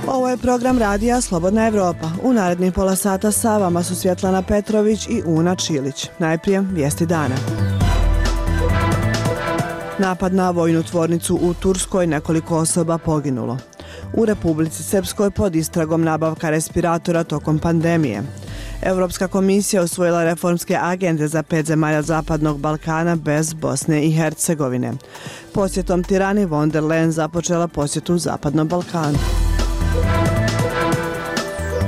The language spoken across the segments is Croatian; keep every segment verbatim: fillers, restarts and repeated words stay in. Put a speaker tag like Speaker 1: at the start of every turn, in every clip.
Speaker 1: Ovo je program radija Slobodna Evropa. U narednih pola sata sa vama su Svjetlana Petrović i Una Čilić. Najprije vijesti dana. Napad na vojnu tvornicu u Turskoj, nekoliko osoba poginulo. U Republici Srpskoj pod istragom nabavka respiratora tokom pandemije. Europska komisija usvojila reformske agende za pet zemalja Zapadnog Balkana bez Bosne i Hercegovine. Posjetom Tirani von der Leyen započela posjetu Zapadnom Balkanu.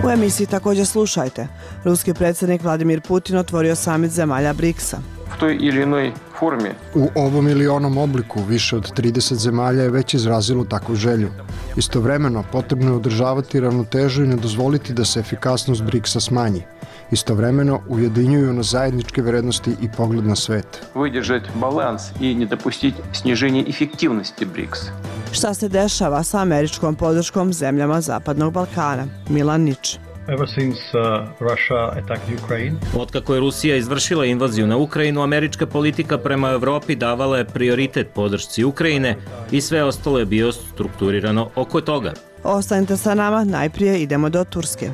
Speaker 1: U emisiji također slušajte. Ruski predsjednik Vladimir Putin otvorio samit zemalja briksa.
Speaker 2: U toj ili inoj formi.
Speaker 3: U ovom ili onom obliku više od trideset zemalja je već izrazilo takvu želju. Istovremeno potrebno je održavati ravnotežu i ne dozvoliti da se efikasnost briksa smanji. Istovremeno ujedinjuju na zajedničke vrednosti i pogled na svet.
Speaker 2: Vydržati balans i ne dopustiti sniženje efektivnosti briksa.
Speaker 1: Šta se dešava sa američkom podrškom zemljama Zapadnog Balkana? Milan Nič.
Speaker 4: Ever since uh, Russia attacked Ukraine.
Speaker 5: Otkako je Rusija izvršila invaziju na Ukrajinu, američka politika prema Evropi davala je prioritet podršci Ukrajine i sve ostalo je bio strukturirano oko toga.
Speaker 1: Ostanite sa nama, najprije idemo do Turske.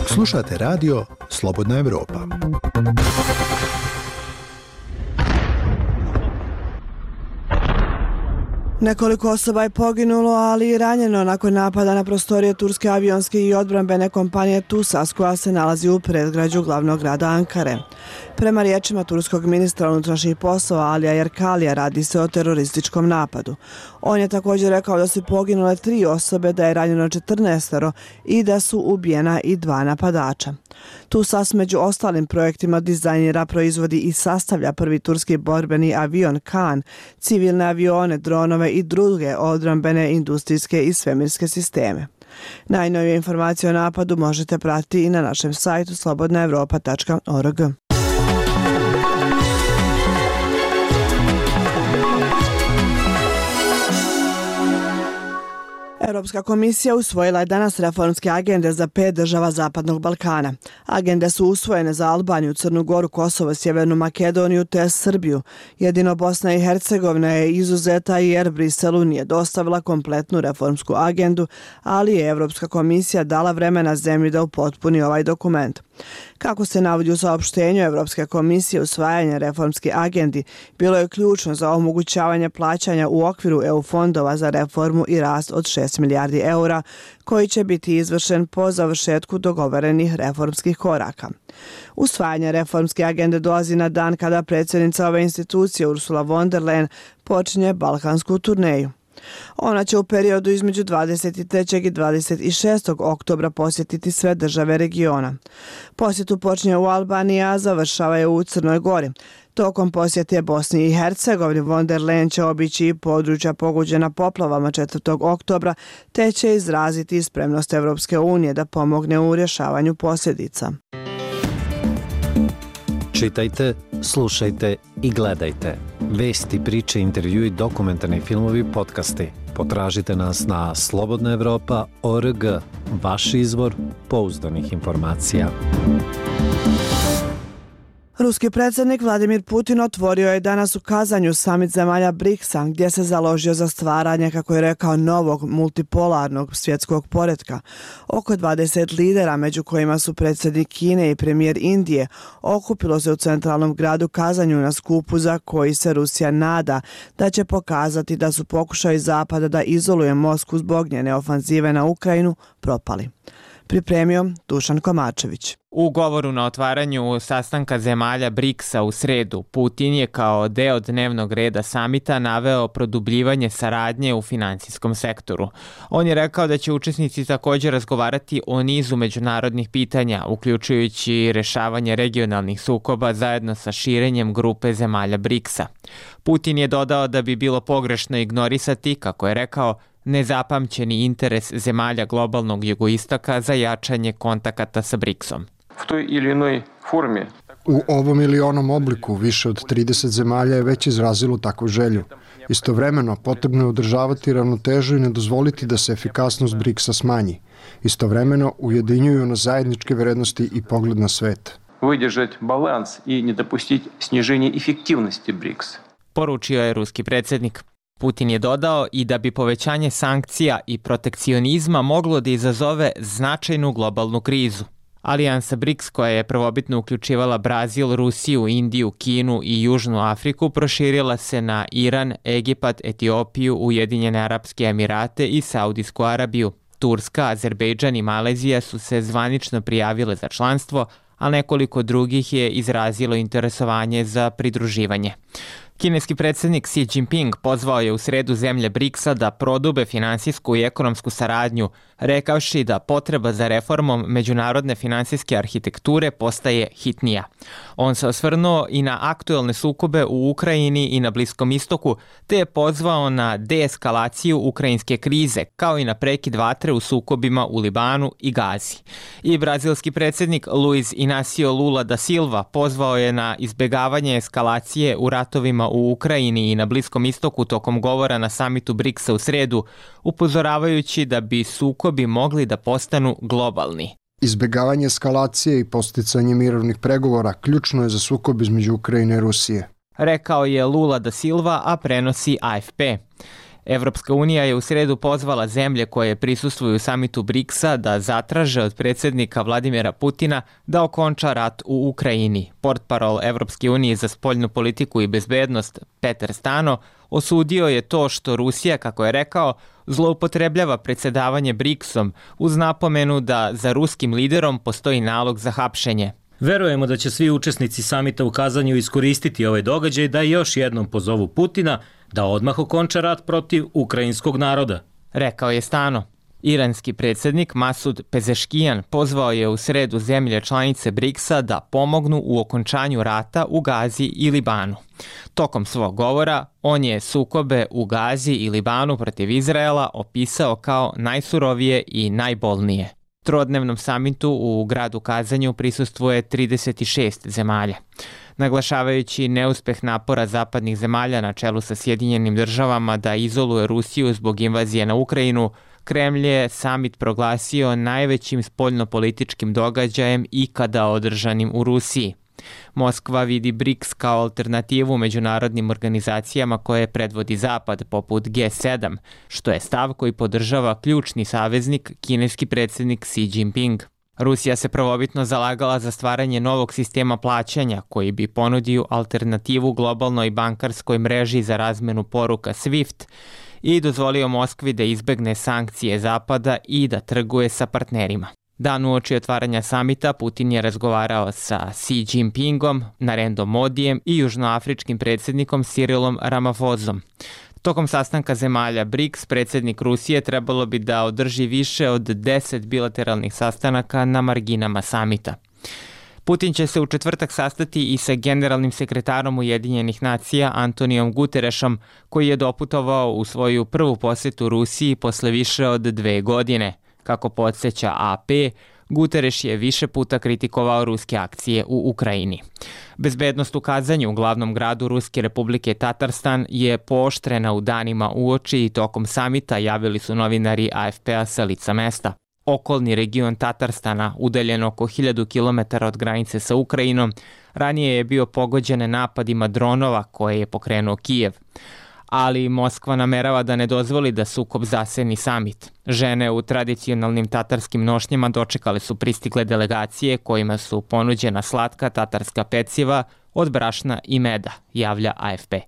Speaker 6: Slušate radio Slobodna Evropa.
Speaker 1: Nekoliko osoba je poginulo, ali i ranjeno nakon napada na prostorije turske avionske i odbrambene kompanije TUSAS, koja se nalazi u predgrađu glavnog grada Ankare. Prema riječima turskog ministra unutrašnjih poslova Alija Yerkalija, radi se o terorističkom napadu. On je također rekao da su poginule tri osobe, da je ranjeno četrnaestoro i da su ubijena i dva napadača. TUSAS među ostalim projektima dizajnira, proizvodi i sastavlja prvi turski borbeni avion Kan, civilne avione, dronove i druge odbrambene industrijske i svemirske sisteme. Najnovije informacije o napadu možete pratiti i na našem sajtu slobodna evropa tačka org. Europska komisija usvojila je danas reformske agende za pet država Zapadnog Balkana. Agende su usvojene za Albaniju, Crnu Goru, Kosovo, Sjevernu Makedoniju te Srbiju. Jedino Bosna i Hercegovina je izuzeta jer Briselu nije dostavila kompletnu reformsku agendu, ali je Europska komisija dala vremena zemlji da upotpuni ovaj dokument. Kako se navodi u saopštenju Europske komisije, usvajanje reformske agendi bilo je ključno za omogućavanje plaćanja u okviru E U fondova za reformu i rast od šest milijardi eura, koji će biti izvršen po završetku dogovorenih reformskih koraka. Usvajanje reformske agende dolazi na dan kada predsjednica ove institucije Ursula von der Leyen počinje balkansku turneju. Ona će u periodu između dvadeset trećeg i dvadeset šestog oktobra posjetiti sve države regiona. Posjetu počinje u Albaniji, a završava je u Crnoj Gori. Tokom posjete Bosni i Hercegovini von der Leyen će obići i područja pogođena poplavama četvrtog oktobra, te će izraziti spremnost Evropske unije da pomogne u rješavanju posljedica.
Speaker 7: Čitajte, slušajte i gledajte. Vesti, priče, intervjui, dokumentarni filmovi, podcasti. Potražite nas na slobodna evropa tačka org, vaš izvor pouzdanih informacija.
Speaker 1: Ruski predsjednik Vladimir Putin otvorio je danas u Kazanju samit zemalja briksa, gdje se založio za stvaranje, kako je rekao, novog multipolarnog svjetskog poretka. Oko dvadeset lidera, među kojima su predsjednik Kine i premijer Indije, okupilo se u centralnom gradu Kazanju na skupu za koji se Rusija nada da će pokazati da su pokušaji Zapada da izoluje Moskvu zbog njene ofanzive na Ukrajinu propali. Pripremio Dušan Komačević.
Speaker 8: U govoru na otvaranju sastanka zemalja briksa u sredu, Putin je kao deo dnevnog reda samita naveo produbljivanje saradnje u finansijskom sektoru. On je rekao da će učesnici također razgovarati o nizu međunarodnih pitanja, uključujući rešavanje regionalnih sukoba zajedno sa širenjem grupe zemalja briksa. Putin je dodao da bi bilo pogrešno ignorisati, kako je rekao, nezapamćeni interes zemalja globalnog jugoistoka za jačanje kontakata sa briksom.
Speaker 2: U toj ili inoj formi.
Speaker 3: U ovom ili onom obliku više od trideset zemalja je već izrazilo takvu želju. Istovremeno potrebno je održavati ravnotežu i ne dozvoliti da se efikasnost briksa smanji. Istovremeno ujedinjuju na zajedničke vrednosti i pogled na svet.
Speaker 2: Vydržati balans i ne dopustiti sniženje efektivnosti briksa.
Speaker 8: Poručio je ruski predsjednik. Putin je dodao i da bi povećanje sankcija i protekcionizma moglo da izazove značajnu globalnu krizu. Alijansa BRICS, koja je prvobitno uključivala Brazil, Rusiju, Indiju, Kinu i Južnu Afriku, proširila se na Iran, Egipat, Etiopiju, Ujedinjene Arapske Emirate i Saudijsku Arabiju. Turska, Azerbejdžan i Malezija su se zvanično prijavile za članstvo, a nekoliko drugih je izrazilo interesovanje za pridruživanje. Kineski predsjednik Xi Jinping pozvao je u sredu zemlje briksa da prodube finansijsku i ekonomsku saradnju, rekavši da potreba za reformom međunarodne finansijske arhitekture postaje hitnija. On se osvrnuo i na aktuelne sukobe u Ukrajini i na Bliskom istoku, te je pozvao na deeskalaciju ukrajinske krize, kao i na prekid vatre u sukobima u Libanu i Gazi. I brazilski predsjednik Luiz Inácio Lula da Silva pozvao je na izbjegavanje eskalacije u ratovima u Ukrajini i na Bliskom istoku tokom govora na samitu briksa u sredu, upozoravajući da bi sukobi mogli da postanu globalni.
Speaker 3: Izbjegavanje eskalacije i posticanje mirovnih pregovora ključno je za sukob između Ukrajine i Rusije,
Speaker 8: rekao je Lula da Silva, a prenosi A F P. Evropska unija je u sredu pozvala zemlje koje prisustvuju samitu briksa da zatraže od predsjednika Vladimira Putina da okonča rat u Ukrajini. Portparol Evropske unije za spoljnu politiku i bezbednost Peter Stano osudio je to što Rusija, kako je rekao, zloupotrebljava predsjedavanje briksom uz napomenu da za ruskim liderom postoji nalog za hapšenje.
Speaker 5: Verujemo da će svi učesnici samita u Kazanju iskoristiti ovaj događaj da još jednom pozovu Putina da odmah okonča rat protiv ukrajinskog naroda,
Speaker 8: rekao je Stano. Iranski predsjednik Masud Pezeškijan pozvao je u sredu zemlje članice briksa da pomognu u okončanju rata u Gazi i Libanu. Tokom svog govora on je sukobe u Gazi i Libanu protiv Izraela opisao kao najsurovije i najbolnije. Trodnevnom samitu u gradu Kazanju prisustvuje trideset šest zemalja. Naglašavajući neuspeh napora zapadnih zemalja na čelu sa Sjedinjenim državama da izoluje Rusiju zbog invazije na Ukrajinu, Kremlj je samit proglasio najvećim spoljnopolitičkim događajem ikada održanim u Rusiji. Moskva vidi briks kao alternativu međunarodnim organizacijama koje predvodi Zapad, poput G sedam, što je stav koji podržava ključni saveznik, kineski predsjednik Xi Jinping. Rusija se prvobitno zalagala za stvaranje novog sistema plaćanja koji bi ponudio alternativu globalnoj bankarskoj mreži za razmenu poruka SWIFT i dozvolio Moskvi da izbegne sankcije Zapada i da trguje sa partnerima. Dan uoči otvaranja samita Putin je razgovarao sa Xi Jinpingom, Narendom Modijem i južnoafričkim predsjednikom Cyrilom Ramaphosom. Tokom sastanka zemalja briks, predsjednik Rusije trebalo bi da održi više od deset bilateralnih sastanaka na marginama samita. Putin će se u četvrtak sastati i sa generalnim sekretarom Ujedinjenih nacija Antonijom Guterešom, koji je doputovao u svoju prvu posjetu Rusiji posle više od dve godine. Kako podsjeća A P, Guterres je više puta kritikovao ruske akcije u Ukrajini. Bezbednost u Kazanju, u glavnom gradu Ruske republike Tatarstan, je pooštrena u danima uoči i tokom samita, javili su novinari A F P-a sa lica mesta. Okolni region Tatarstana, udaljen oko hiljadu kilometara od granice sa Ukrajinom, ranije je bio pogođen napadima dronova koje je pokrenuo Kijev. Ali Moskva namerava da ne dozvoli da sukob zaseni samit. Žene u tradicionalnim tatarskim nošnjama dočekale su pristigle delegacije kojima su ponuđena slatka tatarska peciva od brašna i meda, javlja A F P.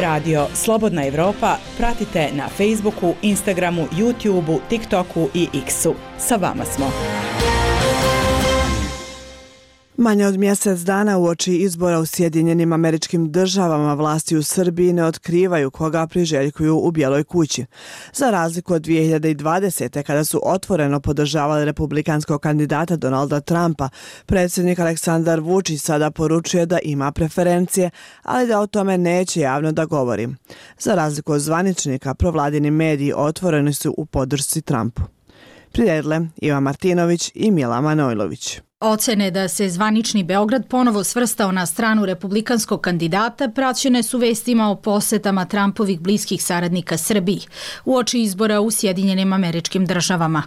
Speaker 9: Radio Slobodna Evropa pratite na Facebooku, Instagramu, YouTubeu, TikToku i X-u. Sa vama smo.
Speaker 1: Manje od mjesec dana uoči izbora u Sjedinjenim Američkim Državama vlasti u Srbiji ne otkrivaju koga priželjkuju u Bijeloj kući. Za razliku od dvije hiljade dvadesete. kada su otvoreno podržavali republikanskog kandidata Donalda Trumpa, predsjednik Aleksandar Vučić sada poručuje da ima preferencije, ali da o tome neće javno da govori. Za razliku od zvaničnika, provladini mediji otvoreni su u podršci Trumpu. Priredile Iva Martinović i Mila Manojlović.
Speaker 10: Ocene da se zvanični Beograd ponovo svrstao na stranu republikanskog kandidata praćene su vestima o posetama Trumpovih bliskih saradnika Srbiji uoči izbora u Sjedinjenim Američkim Državama.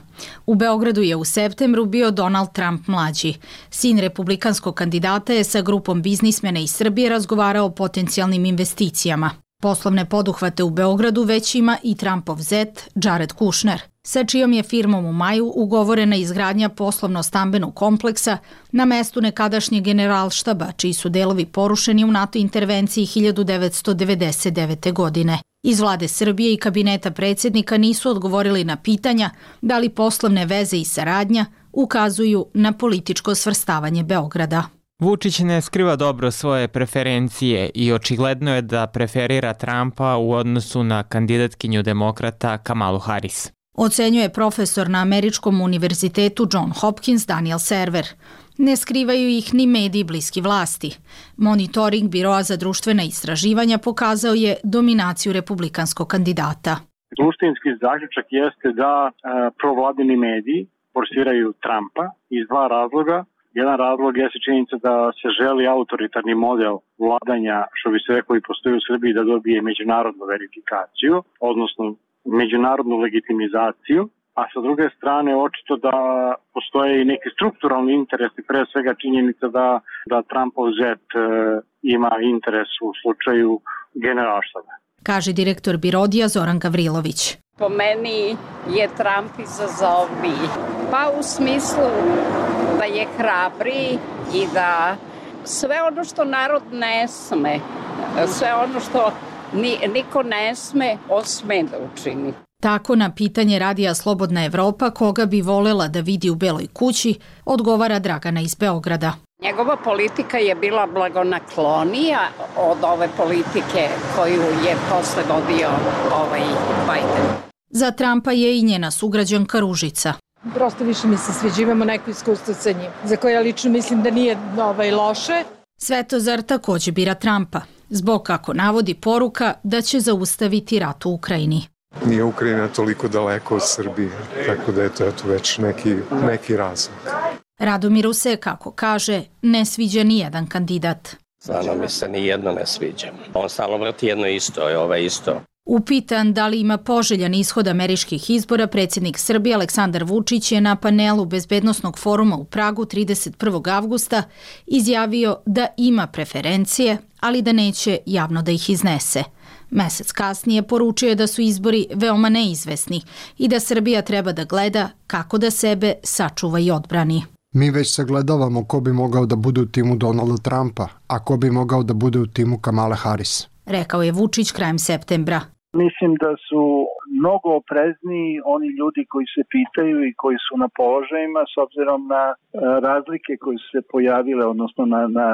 Speaker 10: U Beogradu je u septembru bio Donald Trump mlađi. Sin republikanskog kandidata je sa grupom biznismena iz Srbije razgovarao o potencijalnim investicijama. Poslovne poduhvate u Beogradu već ima i Trumpov zet Jared Kushner, sa čijom je firmom u maju ugovorena izgradnja poslovno-stambenog kompleksa na mestu nekadašnjeg generalštaba, čiji su delovi porušeni u NATO intervenciji hiljadu devetsto devedeset devete. godine. Iz vlade Srbije i kabineta predsjednika nisu odgovorili na pitanja da li poslovne veze i saradnja ukazuju na političko svrstavanje Beograda.
Speaker 8: Vučić ne skriva dobro svoje preferencije i očigledno je da preferira Trumpa u odnosu na kandidatkinju demokrata Kamalu Harris.
Speaker 10: Ocenjuje profesor na Američkom univerzitetu John Hopkins Daniel Server. Ne skrivaju ih ni mediji bliski vlasti. Monitoring Biroa za društvena istraživanja pokazao je dominaciju republikanskog kandidata.
Speaker 11: Suštinski zaključak jeste da e, provladini mediji forsiraju Trumpa iz dva razloga. Jedan razlog jeste činjenica da se želi autoritarni model vladanja, što bi se rekao i postoji u Srbiji, da dobije međunarodnu verifikaciju, odnosno međunarodnu legitimizaciju, a sa druge strane očito da postoje i neki strukturalni interesi, pre svega činjenica da, da Trumpov zet e, ima interes u slučaju generalštaba.
Speaker 10: Kaže direktor Birodija Zoran Gavrilović.
Speaker 12: Po meni je Trump izazovniji. Pa u smislu da je hrabriji i da sve ono što narod ne sme, sve ono što ni, niko ne sme, on sme da učini.
Speaker 10: Tako na pitanje radija Slobodna Evropa koga bi volela da vidi u Beloj kući, odgovara Dragana iz Beograda.
Speaker 12: Njegova politika je bila blagonaklonija od ove politike koju je posle vodio ovaj Biden.
Speaker 10: Za Trumpa je i njena sugrađanka Ružica.
Speaker 13: Prosto više mi se sviđa, imamo neko iskustvo sa njim, za koje ja lično mislim da nije ovaj, loše.
Speaker 10: Svetozar takođe bira Trumpa, zbog kako navodi poruka da će zaustaviti rat u Ukrajini.
Speaker 14: Nije Ukrajina toliko daleko od Srbije, tako da je to eto već neki, neki razlog.
Speaker 10: Radomiru se, kako kaže, ne sviđa ni jedan kandidat.
Speaker 15: Stvarno mi se ni jedno ne sviđa. On stalno vrati jedno isto, je ovaj isto.
Speaker 10: Upitan da li ima poželjan ishod američkih izbora, predsjednik Srbije Aleksandar Vučić je na panelu Bezbednosnog foruma u Pragu trideset prvog avgusta izjavio da ima preferencije, ali da neće javno da ih iznese. Mesec kasnije poručio je da su izbori veoma neizvesni i da Srbija treba da gleda kako da sebe sačuva i odbrani.
Speaker 3: Mi već sagledavamo ko bi mogao da bude u timu Donalda Trumpa, a ko bi mogao da bude u timu Kamale Harris,
Speaker 10: rekao je Vučić krajem septembra.
Speaker 16: Mislim da su mnogo oprezniji oni ljudi koji se pitaju i koji su na položajima s obzirom na razlike koje su se pojavile, odnosno na, na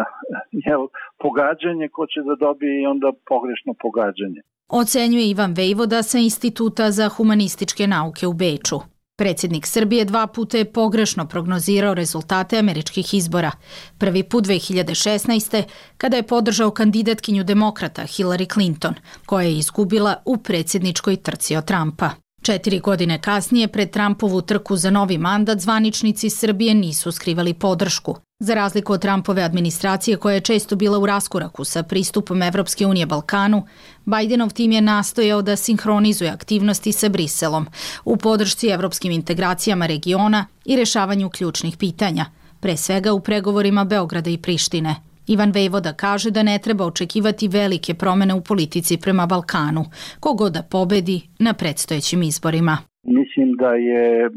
Speaker 16: jel, pogađanje ko će da dobije i onda pogrešno pogađanje.
Speaker 10: Ocenjuje Ivan Vejvoda sa Instituta za humanističke nauke u Beču. Predsjednik Srbije dva puta je pogrešno prognozirao rezultate američkih izbora. Prvi put dve hiljade šesnaeste. kada je podržao kandidatkinju demokrata Hillary Clinton, koja je izgubila u predsjedničkoj trci od Trumpa. Četiri godine kasnije, pred Trumpovu trku za novi mandat, zvaničnici Srbije nisu skrivali podršku. Za razliku od Trumpove administracije, koja je često bila u raskoraku sa pristupom Evropske unije Balkanu, Bidenov tim je nastojao da sinhronizuje aktivnosti sa Briselom u podršci evropskim integracijama regiona i rešavanju ključnih pitanja, pre svega u pregovorima Beograda i Prištine. Ivan Vejvoda kaže da ne treba očekivati velike promene u politici prema Balkanu, kogod da pobedi na predstojećim izborima.
Speaker 16: Mislim da je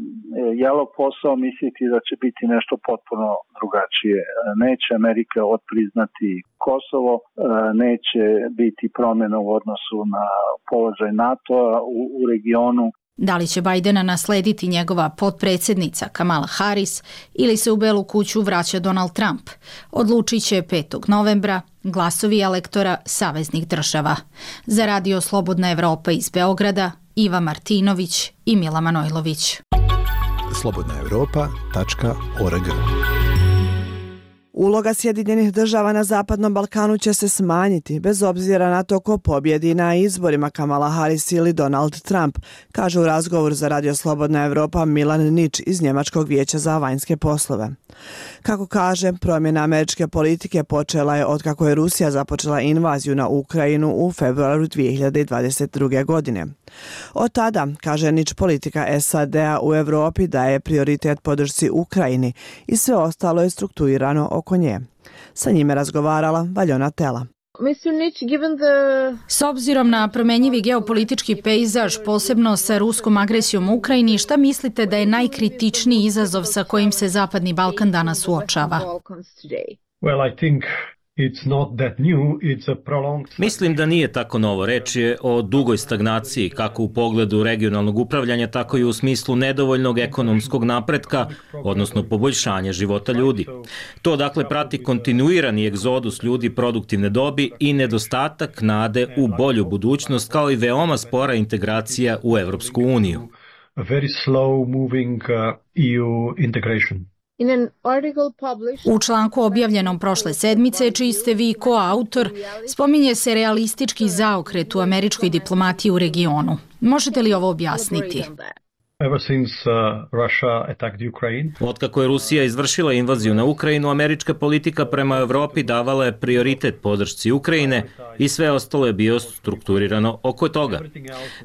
Speaker 16: jalov posao misliti da će biti nešto potpuno drugačije. Neće Amerika odpriznati Kosovo, neće biti promjena u odnosu na položaj NATO-a u, u regionu.
Speaker 10: Da li će Bidena naslediti njegova potpredsjednica Kamala Harris ili se u Belu kuću vraća Donald Trump, odlučit će petog novembra glasovi elektora saveznih država. Za Radio Slobodna Evropa iz Beograda, Iva Martinović i Mila Manojlović.
Speaker 6: slobodna evropa tačka org.
Speaker 1: Uloga Sjedinjenih država na Zapadnom Balkanu će se smanjiti, bez obzira na to ko pobjedi na izborima Kamala Harris ili Donald Trump, kaže u razgovoru za Radio Slobodna Evropa Milan Nič iz Njemačkog vijeća za vanjske poslove. Kako kaže, promjena američke politike počela je od kako je Rusija započela invaziju na Ukrajinu u februaru dvije hiljade dvadeset druge. godine. Od tada, kaže Nič, politika S A D-a u Evropi daje prioritet podršci Ukrajini i sve ostalo je strukturirano oko nje. Sa njime razgovarala Valjona Tela.
Speaker 10: S obzirom na promenjivi geopolitički pejzaž, posebno sa ruskom agresijom u Ukrajini, šta mislite da je najkritičniji izazov sa kojim se Zapadni Balkan danas suočava?
Speaker 4: Well, I think it's not that new, it's a prolonged...
Speaker 5: Mislim da nije tako novo. Reč je o dugoj stagnaciji, kako u pogledu regionalnog upravljanja, tako i u smislu nedovoljnog ekonomskog napretka, odnosno poboljšanja života ljudi. To dakle prati kontinuirani egzodus ljudi produktivne dobi i nedostatak nade u bolju budućnost, kao i veoma spora integracija u Evropsku uniju.
Speaker 4: A very slow moving uh, E U integration.
Speaker 10: U članku objavljenom prošle sedmice, čiji ste vi koautor, spominje se realistički zaokret u američkoj diplomatiji u regionu. Možete li ovo objasniti?
Speaker 4: Ever since uh, Russia attacked Ukraine.
Speaker 5: Otkako je Rusija izvršila invaziju na Ukrajinu, američka politika prema Evropi davala je prioritet podršci Ukrajine i sve ostalo je bio strukturirano oko toga.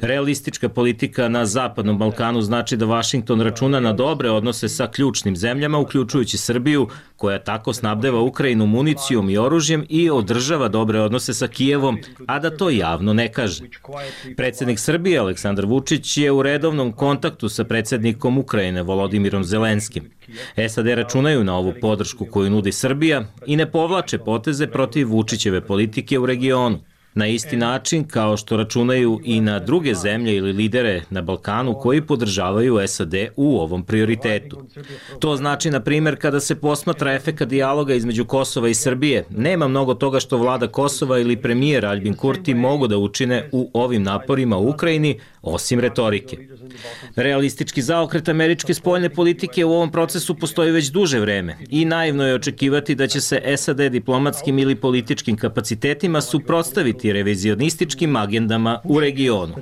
Speaker 5: Realistička politika na Zapadnom Balkanu znači da Vašington računa na dobre odnose sa ključnim zemljama, uključujući Srbiju, koja tako snabdeva Ukrajinu municijom i oružjem i održava dobre odnose sa Kijevom, a da to javno ne kaže. Predsjednik Srbije Aleksandar Vučić je u redovnom kontaktu sa predsjednikom Ukrajine Volodimirom Zelenskim. S A D računaju na ovu podršku koju nudi Srbija i ne povlače poteze protiv Vučićeve politike u regionu. Na isti način kao što računaju i na druge zemlje ili lidere na Balkanu koji podržavaju S A D u ovom prioritetu. To znači, na primjer, kada se posmatra efekat dijaloga između Kosova i Srbije, nema mnogo toga što vlada Kosova ili premijer Aljbin Kurti mogu da učine u ovim naporima u Ukrajini, osim retorike. Realistički zaokret američke spoljne politike u ovom procesu postoji već duže vreme i naivno je očekivati da će se S A D diplomatskim ili političkim kapacitetima suprotstaviti revizionističkim agendama u regionu.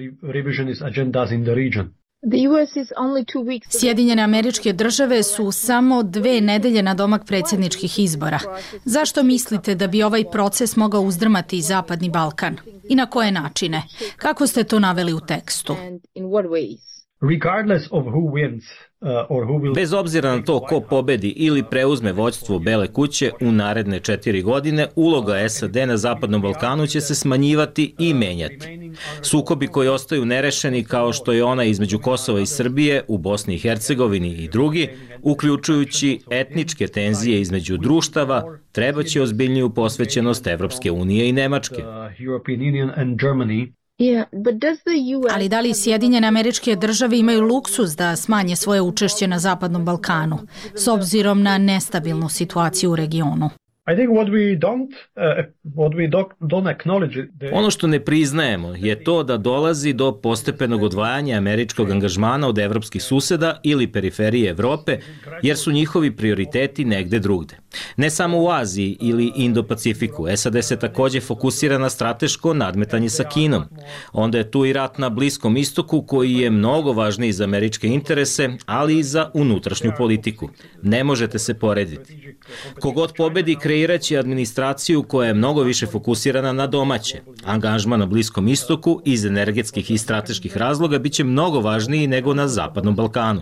Speaker 10: Sjedinjene Američke Države su samo dve nedelje na domak predsjedničkih izbora. Zašto mislite da bi ovaj proces mogao uzdrmati Zapadni Balkan? I na koje načine? Kako ste to naveli u tekstu?
Speaker 4: Regardless of who wins, uh, or who will...
Speaker 5: Bez obzira na to ko pobedi ili preuzme vođstvo Bele kuće u naredne četiri godine, uloga S A D na Zapadnom Balkanu će se smanjivati i menjati. Sukobi koji ostaju nerešeni, kao što je ona između Kosova i Srbije u Bosni i Hercegovini i drugi, uključujući etničke tenzije između društava, trebaće ozbiljniju posvećenost Evropske unije i Nemačke.
Speaker 10: Ali da li Sjedinjene Američke Države imaju luksuz da smanje svoje učešće na Zapadnom Balkanu, s obzirom na nestabilnu situaciju u regionu?
Speaker 5: Ono što ne priznajemo je to da dolazi do postepenog odvajanja američkog angažmana od evropskih suseda ili periferije Evrope, jer su njihovi prioriteti negde drugde. Ne samo u Aziji ili Indo-Pacifiku, S A D se takođe fokusira na strateško nadmetanje sa Kinom. Onda je tu i rat na Bliskom istoku, koji je mnogo važniji za američke interese, ali i za unutrašnju politiku. Ne možete se porediti. Kogod pobedi, kreiraće administraciju koja je mnogo više fokusirana na domaće. Angažman na Bliskom istoku iz energetskih i strateških razloga biće mnogo važniji nego na Zapadnom Balkanu.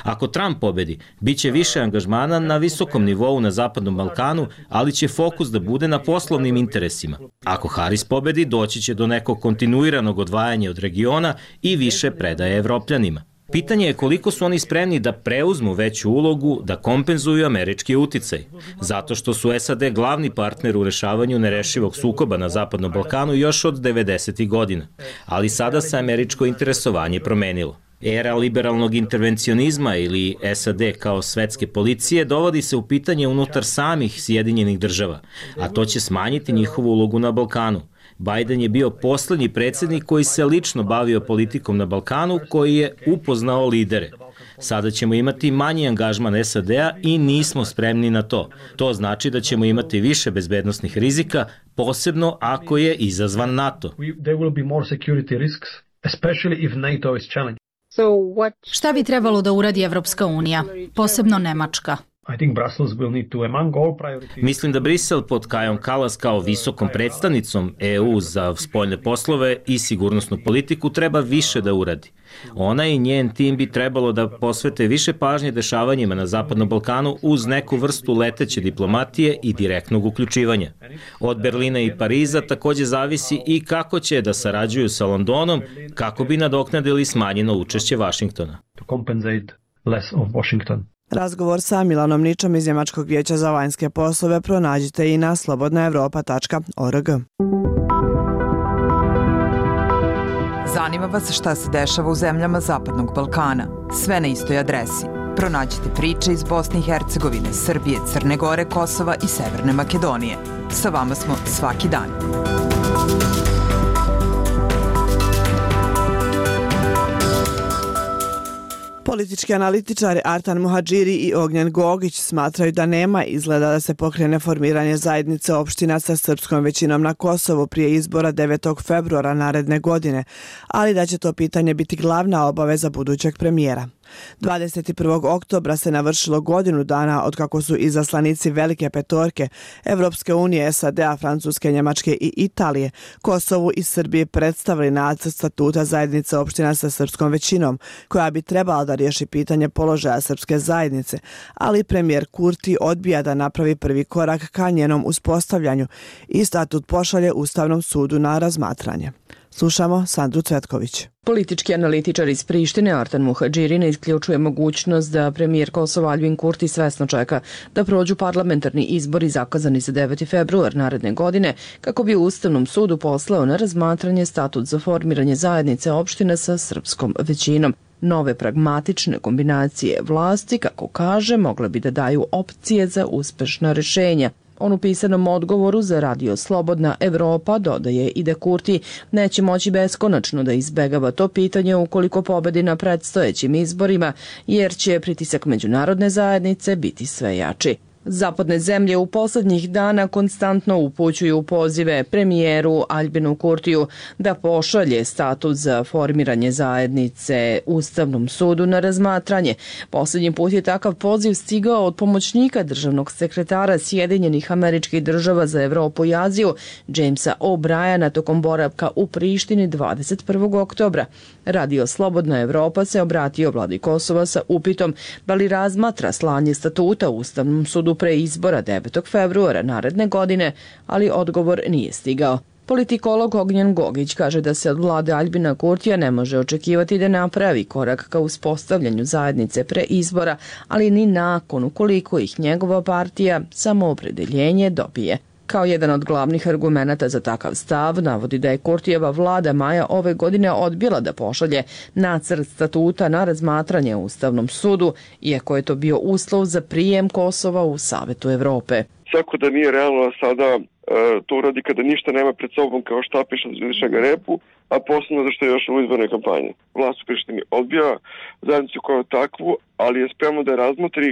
Speaker 5: Ako Trump pobedi, biće više angažmana na visokom nivou na Zapadnom Balkanu, ali će fokus da bude na poslovnim interesima. Ako Harris pobedi, doći će do nekog kontinuiranog odvajanja od regiona i više predaje Evropljanima. Pitanje je koliko su oni spremni da preuzmu veću ulogu, da kompenzuju američki uticaj, zato što su S A D glavni partner u rešavanju nerešivog sukoba na Zapadnom Balkanu još od devedesetih godina, ali sada se američko interesovanje promenilo. Era liberalnog intervencionizma ili S A D kao svetske policije dovodi se u pitanje unutar samih Sjedinjenih Država, a to će smanjiti njihovu ulogu na Balkanu. Biden je bio poslednji predsjednik koji se lično bavio politikom na Balkanu, koji je upoznao lidere. Sada ćemo imati manji angažman S A D-a i nismo spremni na to. To znači da ćemo imati više bezbednosnih rizika, posebno ako je izazvan NATO.
Speaker 10: Šta bi trebalo da uradi Evropska unija, posebno Nemačka?
Speaker 5: Mislim da Brisel pod Kajom Kalas kao visokom predstavnicom E U za spoljne poslove i sigurnosnu politiku treba više da uradi. Ona i njen tim bi trebalo da posvete više pažnje dešavanjima na Zapadnom Balkanu uz neku vrstu leteće diplomatije i direktnog uključivanja. Od Berlina i Pariza takođe zavisi i kako će da sarađuju sa Londonom kako bi nadoknadili smanjeno učešće Vašingtona.
Speaker 1: Razgovor sa Milanom Ničom iz Njemačkog vijeća za vanjske poslove pronađite i na slobodna evropa tačka org.
Speaker 17: Zanima vas šta se dešava u zemljama Zapadnog Balkana? Sve na istoj adresi. Pronađite priče iz Bosne i Hercegovine, Srbije, Crne Gore, Kosova i Severne Makedonije. Sa vama smo svaki dan.
Speaker 1: Politički analitičari Artan Muhadžiri i Ognjen Gogić smatraju da nema izgleda da se pokrene formiranje zajednice opština sa srpskom većinom na Kosovu prije izbora devetog februara naredne godine, ali da će to pitanje biti glavna obaveza budućeg premijera. dvadeset prvog oktobra se navršilo godinu dana od kako su izaslanici Velike petorke, Evropske unije, S A D-a, Francuske, Njemačke i Italije, Kosovu i Srbiji predstavili nacrt statuta zajednice opština sa srpskom većinom, koja bi trebala da riješi pitanje položaja srpske zajednice, ali premijer Kurti odbija da napravi prvi korak ka njenom uspostavljanju i statut pošalje Ustavnom sudu na razmatranje. Slušamo Sandru Cvetković.
Speaker 18: Politički analitičar iz Prištine Artan Muhadžiri ne isključuje mogućnost da premijer Kosova Aljbin Kurti svesno čeka da prođu parlamentarni izbori zakazani za deveti februar naredne godine kako bi Ustavnom sudu poslao na razmatranje statut za formiranje zajednice opština sa srpskom većinom. Nove pragmatične kombinacije vlasti, kako kaže, mogle bi da daju opcije za uspešna rešenja. On u pisanom odgovoru za radio Slobodna Evropa dodaje i da Kurti neće moći beskonačno da izbegava to pitanje ukoliko pobedi na predstojećim izborima, jer će pritisak međunarodne zajednice biti sve jači. Zapadne zemlje u poslednjih dana konstantno upućuju pozive premijeru Aljbinu Kurtiju da pošalje statut za formiranje zajednice Ustavnom sudu na razmatranje. Poslednji put je takav poziv stigao od pomoćnika državnog sekretara Sjedinjenih Američkih Država za Evropu i Aziju, Jamesa O'Briana, tokom boravka u Prištini dvadeset prvog oktobra. Radio Slobodna Evropa se obratio vladi Kosova sa upitom da li razmatra slanje statuta Ustavnom sudu pre izbora devetog februara naredne godine, ali odgovor nije stigao. Politikolog Ognjen Gogić kaže da se od vlade Aljbina Kurtija ne može očekivati da napravi korak ka uspostavljanju zajednice pre izbora, ali ni nakon ukoliko ih njegova partija Samoopredeljenje dobije. Kao jedan od glavnih argumenata za takav stav navodi da je Kurtijeva vlada maja ove godine odbila da pošalje nacrt statuta na razmatranje u Ustavnom sudu, iako je to bio uslov za prijem Kosova u Savetu Evrope.
Speaker 19: Svako da nije realno sada e, to uradi kada ništa nema pred sobom kao štapiš od izvišega repu, a posebno zašto je još u izbornoj kampanji. Vlast u Prištini odbija zajednicu kao takvu, ali je spremno da je razmotri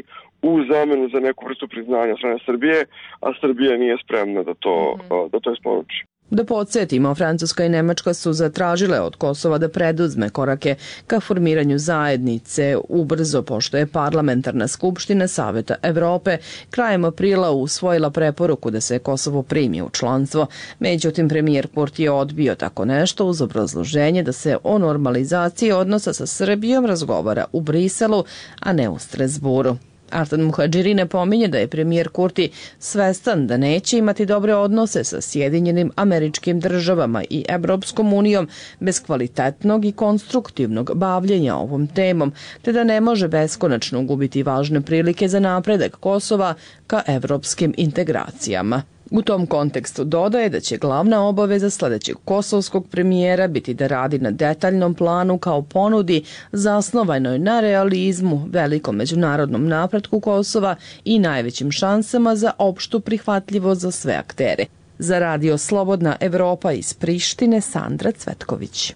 Speaker 19: u zamenu za neku vrstu priznanja strane Srbije, a Srbija nije spremna da to, mm-hmm. da to isporuči.
Speaker 18: Da podsjetimo, Francuska i Nemačka su zatražile od Kosova da preduzme korake ka formiranju zajednice ubrzo, pošto je parlamentarna skupština Saveta Evrope krajem aprila usvojila preporuku da se Kosovo primi u članstvo. Međutim, premijer Kurti je odbio tako nešto uz obrazloženje da se o normalizaciji odnosa sa Srbijom razgovara u Briselu, a ne u Strasburu. Artan Muhadžiri ne pominje da je premijer Kurti svestan da neće imati dobre odnose sa Sjedinjenim Američkim Državama i Evropskom unijom bez kvalitetnog i konstruktivnog bavljenja ovom temom, te da ne može beskonačno gubiti važne prilike za napredak Kosova ka evropskim integracijama. U tom kontekstu dodaje da će glavna obaveza sledećeg kosovskog premijera biti da radi na detaljnom planu kao ponudi zasnovanoj na realizmu, velikom međunarodnom napretku Kosova i najvećim šansama za opštu prihvatljivost za sve aktere. Za radio Slobodna Evropa iz Prištine, Sandra Cvetković.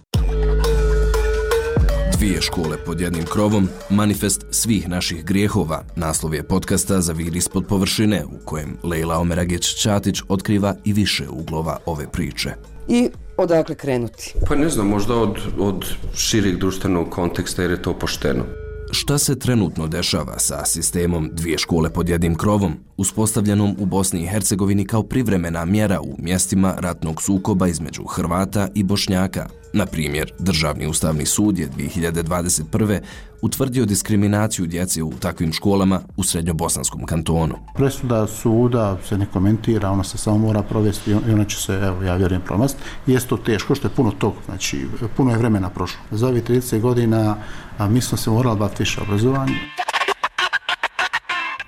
Speaker 20: Dvije škole pod jednim krovom, manifest svih naših grijehova, naslov je podcasta za Vir ispod površine, u kojem Lejla Omeragić-Ćatić otkriva i više uglova ove priče.
Speaker 21: I odakle krenuti?
Speaker 22: Pa ne znam, možda od, od šireg društvenog konteksta, jer je to pošteno.
Speaker 20: Šta se trenutno dešava sa sistemom dvije škole pod jednim krovom, uspostavljenom u Bosni i Hercegovini kao privremena mjera u mjestima ratnog sukoba između Hrvata i Bošnjaka? Na primjer, Državni ustavni sud je dvije hiljade dvadeset prve. utvrdio diskriminaciju djece u takvim školama u Srednjobosanskom kantonu.
Speaker 2: Presuda suda se ne komentira, ona se samo mora provesti i ona će se, evo, ja vjerujem, promast. Jeste to teško, što je puno tog, znači puno je vremena prošlo. Za ovih trideset godina a mi smo se morali baviti više obrazovanje.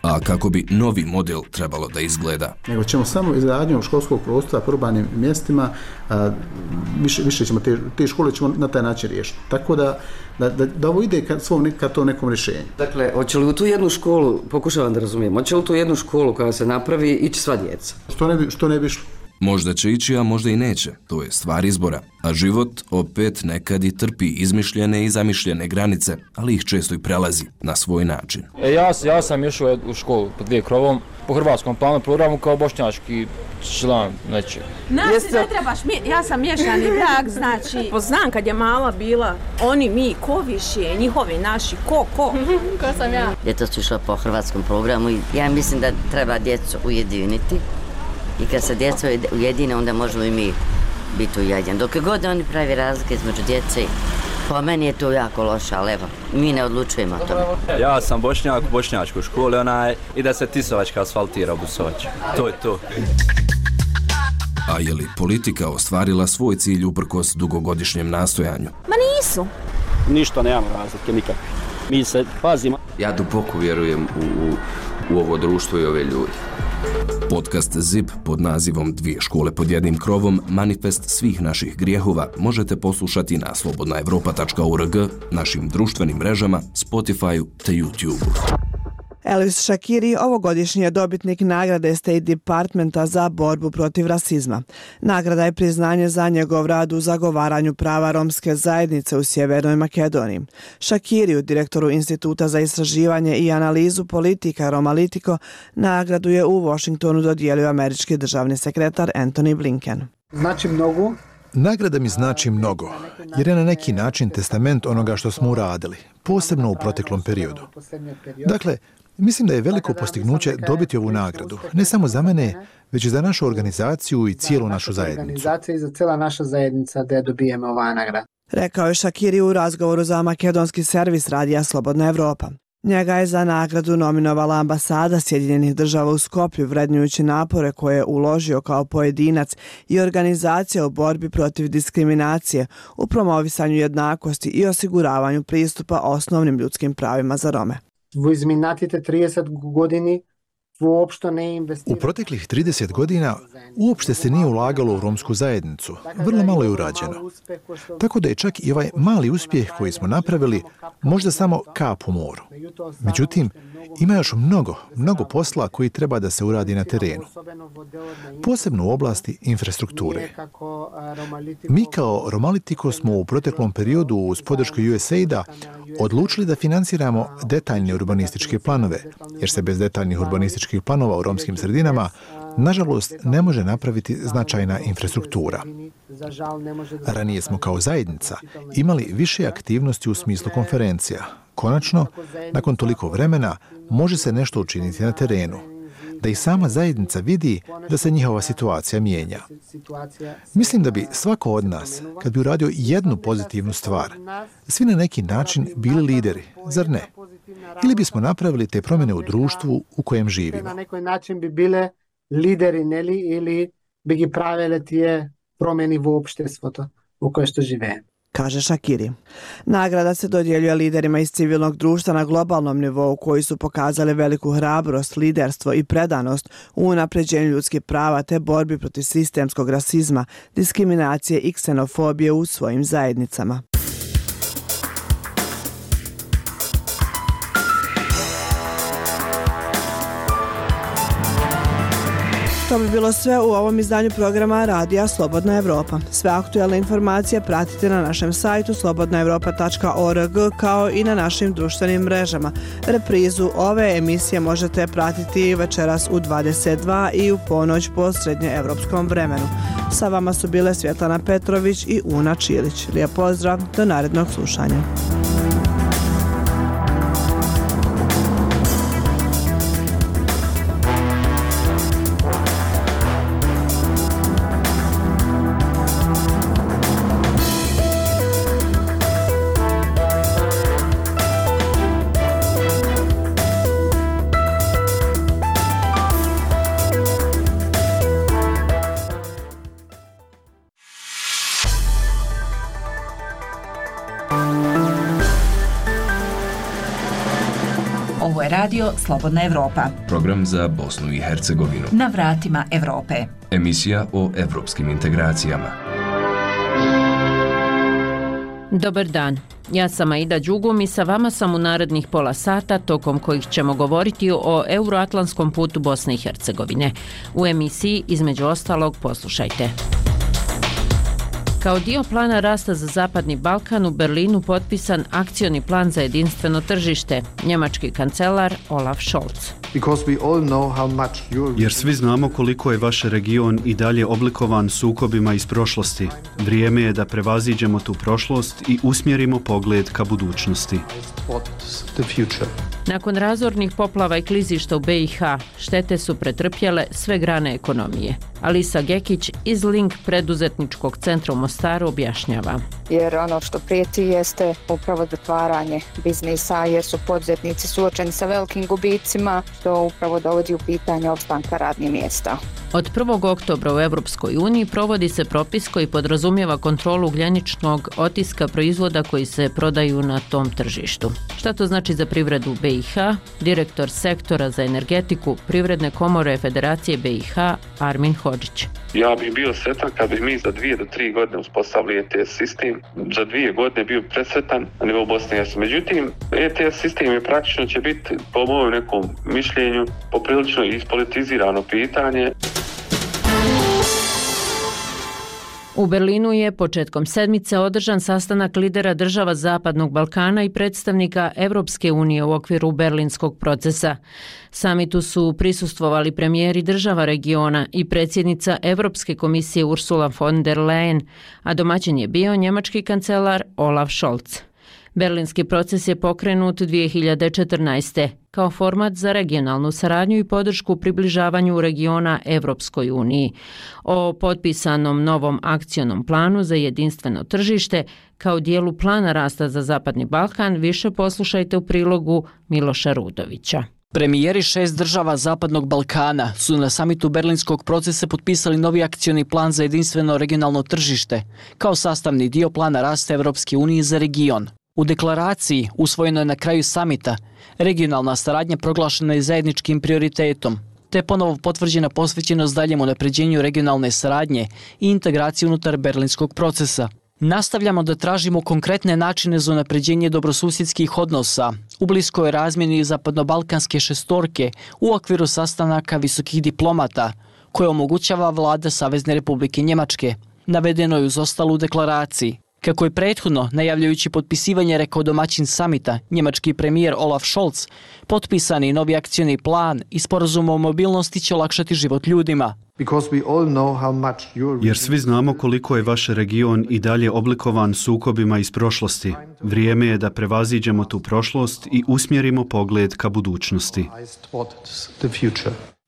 Speaker 20: A kako bi novi model trebalo da izgleda?
Speaker 2: Nego ćemo samo izgradnjom školskog prostora po urbanim mjestima, a, više, više ćemo te, te škole ćemo na taj način riješiti. Tako da, da, da, da ovo ide ka, svom, ka to nekom rješenju.
Speaker 21: Dakle, hoće li u tu jednu školu, pokušavam da razumijem, hoće li u tu jednu školu koja se napravi ići sva djeca?
Speaker 2: Što ne bi, što ne bi išlo?
Speaker 20: Možda će ići, a možda i neće. To je stvar izbora. A život opet nekad i trpi izmišljene i zamišljene granice, ali ih često i prelazi na svoj način.
Speaker 7: E, ja, ja sam išao u školu pod dvije krovom, po hrvatskom planu programu kao bošnjački član nečeg.
Speaker 23: Nas Jeste... ne trebaš, ja sam miješani brak, znači, poznam kad je mala bila, oni, mi, ko više, njihovi, naši, ko, ko?
Speaker 24: Ko sam ja? Djeca su išla po hrvatskom programu i ja mislim da treba djecu ujediniti. I kad se djeca ujedine, onda možemo i mi biti ujedinjeni. Dok god oni pravi razlike između djece, po meni je to jako loše, ali evo, mi ne odlučujemo o tome.
Speaker 25: Ja sam Bošnjak u bošnjačkoj školi, onaj, i da se Tisovačka asfaltira u Busovaču. To je to.
Speaker 20: A je li politika ostvarila svoj cilj uprkos dugogodišnjem nastojanju?
Speaker 23: Ma nisu.
Speaker 26: Ništa, nemamo razlike, nikak. Mi se pazimo.
Speaker 22: Ja duboko vjerujem u, u, u ovo društvo i ove ljudi.
Speaker 20: Podcast Z I P pod nazivom Dvije škole pod jednim krovom, manifest svih naših grijehova, možete poslušati na slobodna evropa tačka org, našim društvenim mrežama, Spotify-u te YouTube-u.
Speaker 1: Elvis Shakiri ovogodišnji je dobitnik nagrade State Departmenta za borbu protiv rasizma. Nagrada je priznanje za njegov rad u zagovaranju prava romske zajednice u Sjevernoj Makedoniji. Shakiriju, direktoru Instituta za istraživanje i analizu politika Romalitico, nagradu je u Washingtonu dodijelio američki državni sekretar Antony Blinken.
Speaker 27: Znači mnogo.
Speaker 6: Nagrada mi znači mnogo, jer je na neki način testament onoga što smo uradili, posebno u proteklom periodu. Dakle, mislim da je veliko postignuće dobiti ovu nagradu, ne samo za mene, već i za našu organizaciju i cijelu našu zajednicu.
Speaker 27: Organizacija i za cijela naša zajednica da dobijemo ova nagrada.
Speaker 1: Rekao je Shakiri u razgovoru za makedonski servis radija Slobodna Evropa. Njega je za nagradu nominovala ambasada Sjedinjenih država u Skoplju, vrednujući napore koje je uložio kao pojedinac i organizacija u borbi protiv diskriminacije, u promovisanju jednakosti i osiguravanju pristupa osnovnim ljudskim pravima za Rome.
Speaker 27: U izminatite trideset godini uopšte ne investirate.
Speaker 6: U proteklih trideset godina uopšte se nije ulagalo u romsku zajednicu, vrlo malo je urađeno. Tako da je čak i ovaj mali uspjeh koji smo napravili možda samo kap u moru. Međutim, ima još mnogo, mnogo posla koji treba da se uradi na terenu. Posebno u oblasti infrastrukture. Mi kao Romalitico smo u proteklom periodu uz podršku U S A I D-a odlučili da financiramo detaljne urbanističke planove, jer se bez detaljnih urbanističkih planova u romskim sredinama nažalost ne može napraviti značajna infrastruktura. Ranije smo kao zajednica imali više aktivnosti u smislu konferencija. Konačno, nakon toliko vremena, može se nešto učiniti na terenu, da i sama zajednica vidi da se njihova situacija mijenja. Mislim da bi svako od nas, kad bi uradio jednu pozitivnu stvar, svi na neki način bili lideri, zar ne? Ili bismo napravili te promjene u društvu u kojem živimo.
Speaker 27: Na neki način bi bile lideri, neli, ili bi gi pravile tije promjeni u opštestvu u koje što žive.
Speaker 1: Kaže Shakiri. Nagrada se dodjeljuje liderima iz civilnog društva na globalnom nivou koji su pokazali veliku hrabrost, liderstvo i predanost u unapređenju ljudskih prava te borbi protiv sistemskog rasizma, diskriminacije i ksenofobije u svojim zajednicama. To bi bilo sve u ovom izdanju programa Radija Slobodna Evropa. Sve aktuelne informacije pratite na našem sajtu slobodna evropa tačka org kao i na našim društvenim mrežama. Reprizu ove emisije možete pratiti večeras u dvadeset dva i u ponoć po srednjeevropskom vremenu. Sa vama su bile Svjetlana Petrović i Una Čilić. Lijep pozdrav, do narednog slušanja.
Speaker 8: Ovo je radio Slobodna Evropa.
Speaker 20: Program za Bosnu i Hercegovinu.
Speaker 8: Na vratima Evrope.
Speaker 20: Emisija o evropskim integracijama.
Speaker 9: Dobar dan. Ja sam Aida Đugum i sa vama sam u narednih pola sata tokom kojih ćemo govoriti o euroatlantskom putu Bosne i Hercegovine. U emisiji, između ostalog, poslušajte. Kao dio plana rasta za Zapadni Balkan u Berlinu potpisan akcioni plan za jedinstveno tržište, njemački kancelar Olaf Scholz.
Speaker 11: Jer svi znamo koliko je vaš region i dalje oblikovan sukobima iz prošlosti. Vrijeme je da prevaziđemo tu prošlost i usmjerimo pogled ka budućnosti.
Speaker 9: Nakon razornih poplava i klizišta u B i H, štete su pretrpjele sve grane ekonomije. Alisa Gekić iz Link preduzetničkog centra u Mostaru objašnjava.
Speaker 12: Jer ono što prijeti jeste upravo zatvaranje biznisa, jer su poduzetnici suočeni sa velikim gubicima, što upravo dovodi u pitanje opstanka radnih mjesta.
Speaker 9: Od prvog oktobra u Europskoj uniji provodi se propis koji podrazumijeva kontrolu ugljeničnog otiska proizvoda koji se prodaju na tom tržištu. Šta to znači za privredu B i H? Direktor sektora za energetiku Privredne komore Federacije B i H Armin Hodžić.
Speaker 13: Ja bih bio sretan kad bi mi za dvije do tri godine uspostavili E T S sistem. Za dvije godine bio presretan na nivou Bosne i Hercegovine. Međutim, E T S sistem je praktično će biti, po mojem nekom mišljenju, poprilično ispolitizirano pitanje.
Speaker 9: U Berlinu je početkom sedmice održan sastanak lidera država Zapadnog Balkana i predstavnika Evropske unije u okviru berlinskog procesa. Samitu su prisustvovali premijeri država regiona i predsjednica Evropske komisije Ursula von der Leyen, a domaćin je bio njemački kancelar Olaf Scholz. Berlinski proces je pokrenut dvije hiljade četrnaeste. kao format za regionalnu saradnju i podršku približavanju regiona Evropskoj uniji. O potpisanom novom akcionom planu za jedinstveno tržište kao dijelu plana rasta za Zapadni Balkan više poslušajte u prilogu Miloša Rudovića.
Speaker 14: Premijeri šest država Zapadnog Balkana su na samitu berlinskog procesa potpisali novi akcioni plan za jedinstveno regionalno tržište kao sastavni dio plana rasta Evropske unije za region. U deklaraciji, usvojeno je na kraju samita, regionalna saradnja proglašena je zajedničkim prioritetom, te ponovo potvrđena posvećenost daljem unapređenju regionalne saradnje i integraciji unutar berlinskog procesa. Nastavljamo da tražimo konkretne načine za unapređenje dobrosusjedskih odnosa u bliskoj razmjeni zapadnobalkanske šestorke u okviru sastanaka visokih diplomata koje omogućava vlada Savezne Republike Njemačke. Navedeno je uz ostalu deklaraciji. Kako je prethodno, najavljajući potpisivanje, rekao domaćin samita, njemački premijer Olaf Scholz, potpisani novi akcioni plan i sporazum o mobilnosti će olakšati život ljudima.
Speaker 11: Jer svi znamo koliko je vaš region i dalje oblikovan sukobima iz prošlosti. Vrijeme je da prevaziđemo tu prošlost i usmjerimo pogled ka budućnosti.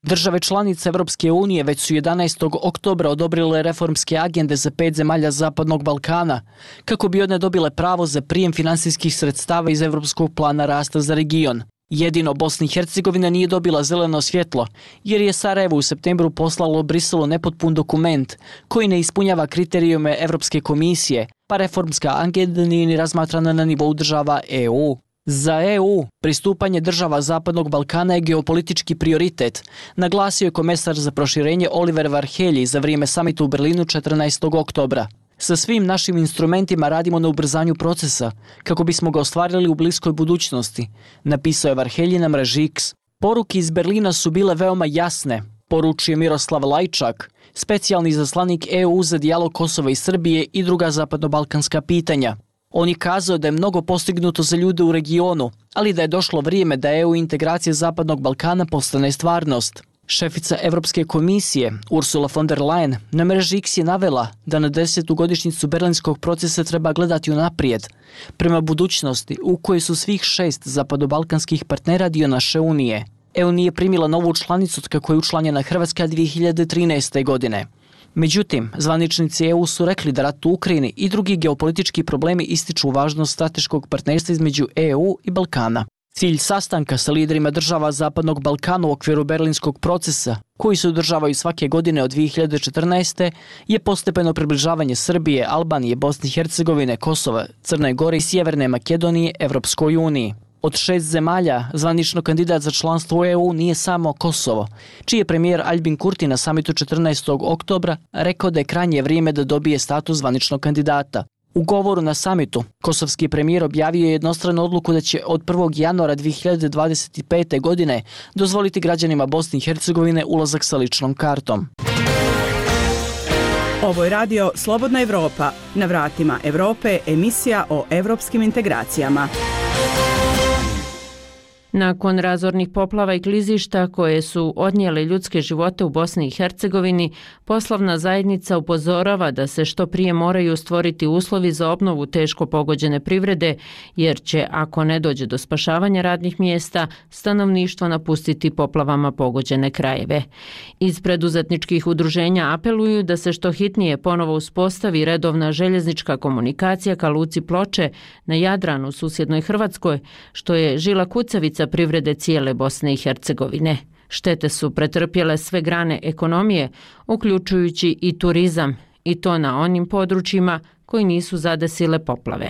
Speaker 14: Države članice Evropske unije već su jedanaestog oktobra odobrile reformske agende za pet zemalja Zapadnog Balkana, kako bi one dobile pravo za prijem finansijskih sredstava iz Evropskog plana rasta za region. Jedino Bosna i Hercegovina nije dobila zeleno svjetlo, jer je Sarajevo u septembru poslalo Briselu nepotpun dokument koji ne ispunjava kriterijume Evropske komisije, pa reformska agenda nije ni razmatrana na nivou država E U. Za E U, pristupanje država Zapadnog Balkana je geopolitički prioritet, naglasio je komesar za proširenje Oliver Varhelyi za vrijeme samita u Berlinu četrnaestog oktobra. Sa svim našim instrumentima radimo na ubrzanju procesa, kako bismo ga ostvarili u bliskoj budućnosti, napisao je Varhelyi na mreži X. Poruke iz Berlina su bile veoma jasne, poručuje Miroslav Lajčak, specijalni zaslanik E U za dijalog Kosova i Srbije i druga zapadnobalkanska pitanja. On je kazao da je mnogo postignuto za ljude u regionu, ali da je došlo vrijeme da E U integracija Zapadnog Balkana postane stvarnost. Šefica Evropske komisije Ursula von der Leyen na mreži X je navela da na desetu godišnjicu berlinskog procesa treba gledati unaprijed, prema budućnosti u kojoj su svih šest zapadobalkanskih partnera dio naše unije. E U nije primila novu članicu kako je učlanjena Hrvatska dvije hiljade trinaeste. godine. Međutim, zvaničnici E U su rekli da rat u Ukrajini i drugi geopolitički problemi ističu važnost strateškog partnerstva između E U i Balkana. Cilj sastanka sa liderima država Zapadnog Balkana u okviru berlinskog procesa, koji se održavaju svake godine od dvije hiljade četrnaeste. je postepeno približavanje Srbije, Albanije, Bosne i Hercegovine, Kosova, Crne Gore i Sjeverne Makedonije Evropskoj uniji. Od šest zemalja, zvanično kandidat za članstvo u E U nije samo Kosovo, čiji je premijer Aljbin Kurti na samitu četrnaestog oktobra rekao da je krajnje vrijeme da dobije status zvaničnog kandidata. U govoru na samitu, kosovski premijer objavio je jednostranu odluku da će od prvog januara dvije hiljade dvadeset pete. godine dozvoliti građanima Bosne i Hercegovine ulazak sa ličnom kartom.
Speaker 3: Ovo je radio Slobodna Evropa. Na vratima Evrope emisija o evropskim integracijama.
Speaker 9: Nakon razornih poplava i klizišta koje su odnijele ljudske živote u Bosni i Hercegovini, poslovna zajednica upozorava da se što prije moraju stvoriti uslovi za obnovu teško pogođene privrede, jer će, ako ne dođe do spašavanja radnih mjesta, stanovništvo napustiti poplavama pogođene krajeve. Iz preduzetničkih udruženja apeluju da se što hitnije ponovo uspostavi redovna željeznička komunikacija ka luci Ploče na Jadranu, susjednoj Hrvatskoj, što je žila kucavica privrede cijele Bosne i Hercegovine. Štete su pretrpjele sve grane ekonomije, uključujući i turizam, i to na onim područjima koji nisu zadesile poplave.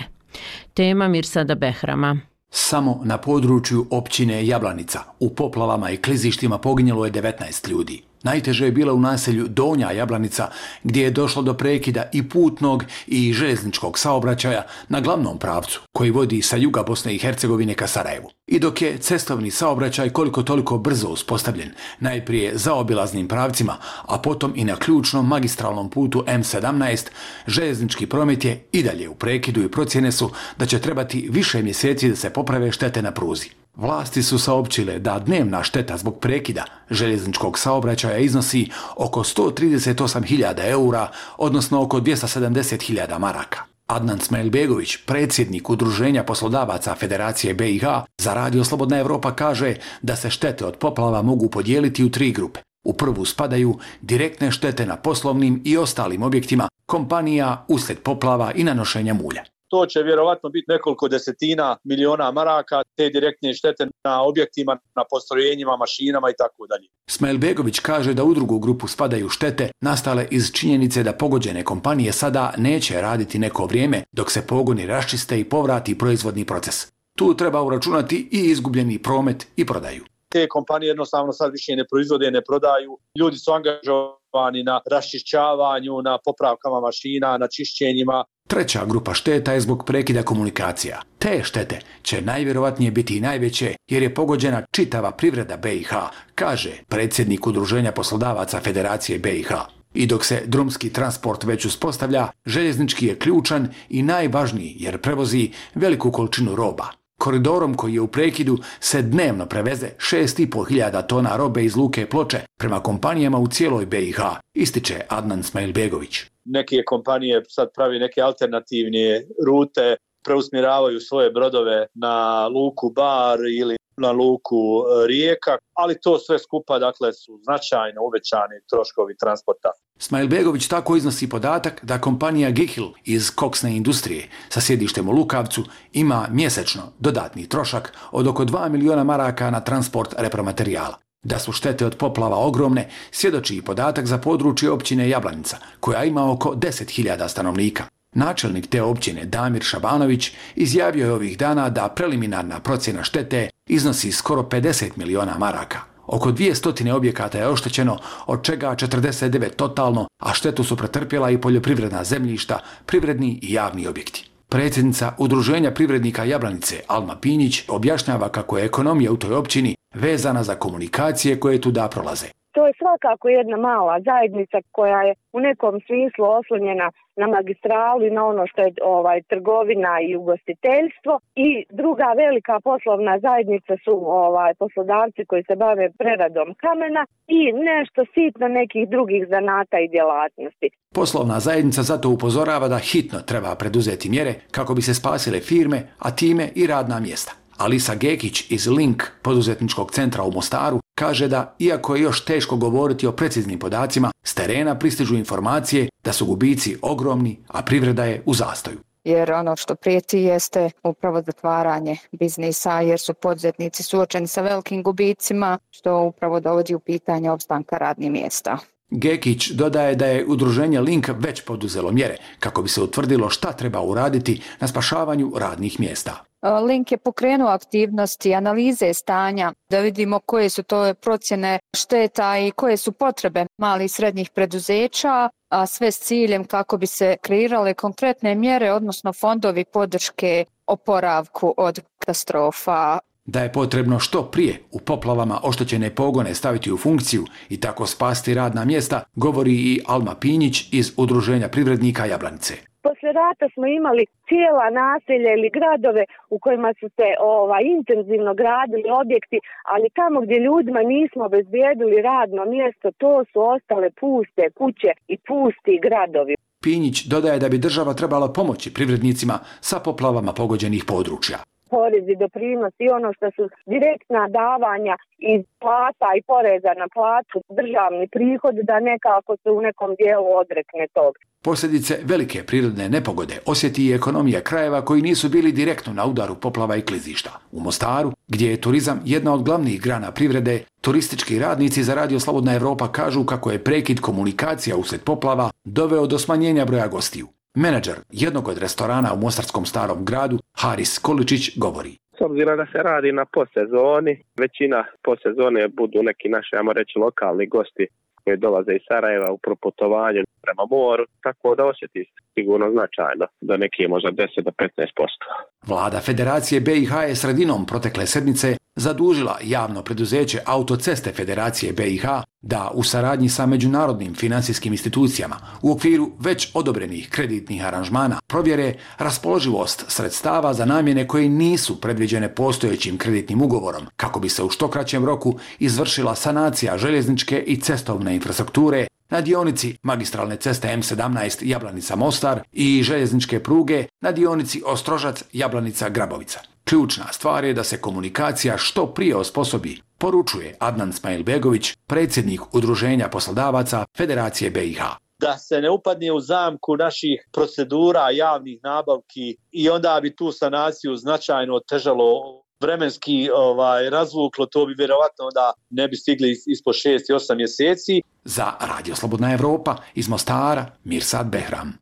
Speaker 9: Tema Mirsada Behrama.
Speaker 4: Samo na području općine Jablanica u poplavama i klizištima poginjelo je devetnaest ljudi. Najteže je bilo u naselju Donja Jablanica, gdje je došlo do prekida i putnog i željezničkog saobraćaja na glavnom pravcu koji vodi sa juga Bosne i Hercegovine ka Sarajevu. I dok je cestovni saobraćaj koliko toliko brzo uspostavljen, najprije zaobilaznim pravcima, a potom i na ključnom magistralnom putu M sedamnaest, željeznički promet je i dalje u prekidu i procjene su da će trebati više mjeseci da se poprave štete na pruzi. Vlasti su saopćile da dnevna šteta zbog prekida željezničkog saobraćaja iznosi oko sto trideset osam hiljada eura, odnosno oko dvjesto sedamdeset hiljada maraka. Adnan Smailbegović, predsjednik Udruženja poslodavaca Federacije B i H, za Radio Slobodna Evropa kaže da se štete od poplava mogu podijeliti u tri grupe. U prvu spadaju direktne štete na poslovnim i ostalim objektima kompanija uslijed poplava i nanošenja mulja.
Speaker 5: To će vjerovatno biti nekoliko desetina miliona maraka, te direktne štete na objektima, na postrojenjima, mašinama i tako dalje.
Speaker 4: Smailbegović kaže da u drugu grupu spadaju štete nastale iz činjenice da pogođene kompanije sada neće raditi neko vrijeme dok se pogoni raščiste i povrati proizvodni proces. Tu treba uračunati i izgubljeni promet i prodaju.
Speaker 5: Te kompanije jednostavno sad više ne proizvode, ne prodaju. Ljudi su angažovani na raščišćavanju, na popravkama mašina, na čišćenjima.
Speaker 4: Treća grupa šteta je zbog prekida komunikacija. Te štete će najvjerovatnije biti i najveće jer je pogođena čitava privreda B i H, kaže predsjednik Udruženja poslodavaca Federacije B i H. I dok se drumski transport već uspostavlja, željeznički je ključan i najvažniji jer prevozi veliku količinu roba. Koridorom koji je u prekidu se dnevno preveze šest i pol hiljada tona robe iz luke Ploče prema kompanijama u cijeloj B i H, ističe Adnan Smailbegović.
Speaker 5: Neke kompanije sad pravi neke alternativne rute, preusmjeravaju svoje brodove na luku Bar ili na luku Rijeka, ali to sve skupa dakle su značajno uvećani troškovi transporta.
Speaker 4: Smailbegović tako iznosi podatak da kompanija Gihil iz koksne industrije sa sjedištem u Lukavcu ima mjesečno dodatni trošak od oko dva miliona maraka na transport repromaterijala. Da su štete od poplava ogromne, svjedoči i podatak za područje općine Jablanica, koja ima oko deset hiljada stanovnika. Načelnik te općine Damir Šabanović izjavio je ovih dana da preliminarna procjena štete iznosi skoro pedeset miliona maraka. Oko dvjesto objekata je oštećeno, od čega četrdeset devet totalno, a štetu su pretrpjela i poljoprivredna zemljišta, privredni i javni objekti. Predsjednica Udruženja privrednika Jablanice Alma Pinjić objašnjava kako je ekonomija u toj općini vezana za komunikacije koje tu da prolaze.
Speaker 10: To je svakako jedna mala zajednica koja je u nekom smislu oslonjena na magistralu i na ono što je ovaj, trgovina i ugostiteljstvo. I druga velika poslovna zajednica su ovaj, poslodavci koji se bave preradom kamena i nešto sitno nekih drugih zanata i djelatnosti.
Speaker 4: Poslovna zajednica zato upozorava da hitno treba preduzeti mjere kako bi se spasile firme, a time i radna mjesta. Alisa Gekić iz Link poduzetničkog centra u Mostaru kaže da, iako je još teško govoriti o preciznim podacima, s terena pristižu informacije da su gubici ogromni, a privreda je u zastoju.
Speaker 12: Jer ono što prijeti jeste upravo zatvaranje biznisa, jer su poduzetnici suočeni sa velikim gubicima, što upravo dovodi u pitanje opstanka radnih mjesta.
Speaker 4: Gekić dodaje da je udruženje Link već poduzelo mjere kako bi se utvrdilo šta treba uraditi na spašavanju radnih mjesta.
Speaker 12: Link je pokrenuo aktivnosti, analize stanja, da vidimo koje su to procjene šteta i koje su potrebe malih i srednjih preduzeća, a sve s ciljem kako bi se kreirale konkretne mjere, odnosno fondovi podrške oporavku od katastrofa.
Speaker 4: Da je potrebno što prije u poplavama oštećene pogone staviti u funkciju i tako spasti radna mjesta, govori i Alma Pinjić iz Udruženja privrednika Jablanice.
Speaker 10: Posle rata smo imali cijela naselja ili gradove u kojima su se ovaj, intenzivno gradili objekti, ali tamo gdje ljudima nismo obezbijedili radno mjesto, to su ostale puste kuće i pusti gradovi.
Speaker 4: Pinjić dodaje da bi država trebala pomoći privrednicima sa poplavama pogođenih područja.
Speaker 10: Porezi, doprinos i ono što su direktna davanja iz plata i poreza na platu, državni prihod, da nekako se u nekom dijelu odrekne tog.
Speaker 4: Posljedice velike prirodne nepogode osjeti i ekonomija krajeva koji nisu bili direktno na udaru poplava i klizišta. U Mostaru, gdje je turizam jedna od glavnih grana privrede, turistički radnici za Radio Slobodna Evropa kažu kako je prekid komunikacija uslijed poplava doveo do smanjenja broja gostiju. Menadžer jednog od restorana u Mostarskom Starom gradu, Haris Količić, govori.
Speaker 2: S obzirom da se radi na postsezoni, većina postsezone budu neki naši, ajmo reći, lokalni gosti koji dolaze iz Sarajeva u proputovanju prema moru, tako da osjeti sigurno značajno, da neki možda deset do petnaest posto.
Speaker 4: Vlada Federacije B i H je sredinom protekle sedmice zadužila javno preduzeće Autoceste Federacije B i H da u saradnji sa međunarodnim financijskim institucijama u okviru već odobrenih kreditnih aranžmana provjere raspoloživost sredstava za namjene koje nisu predviđene postojećim kreditnim ugovorom, kako bi se u što kraćem roku izvršila sanacija željezničke i cestovne infrastrukture na dionici magistralne ceste M sedamnaest Jablanica-Mostar i željezničke pruge na dionici Ostrožac-Jablanica-Grabovica. Ključna stvar je da se komunikacija što prije osposobi, poručuje Adnan Smajlbegović, predsjednik Udruženja poslodavaca Federacije B i H.
Speaker 5: Da se ne upadne u zamku naših procedura, javnih nabavki i onda bi tu sanaciju značajno otežalo, vremenski ovaj, razvuklo, to bi vjerovatno onda ne bi stigli ispod šest i osam mjeseci.
Speaker 4: Za Radio Slobodna Evropa iz Mostara, Mirsad Behram.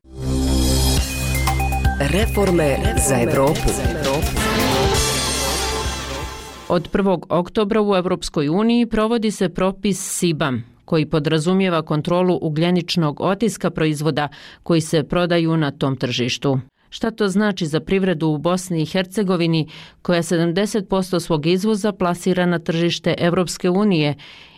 Speaker 15: Reforme za Evropu.
Speaker 9: Od prvog oktobra u Europskoj uniji provodi se propis S I B A M, koji podrazumijeva kontrolu ugljeničnog otiska proizvoda koji se prodaju na tom tržištu. Šta to znači za privredu u Bosni i Hercegovini, koja sedamdeset posto svog izvoza plasira na tržište Europske unije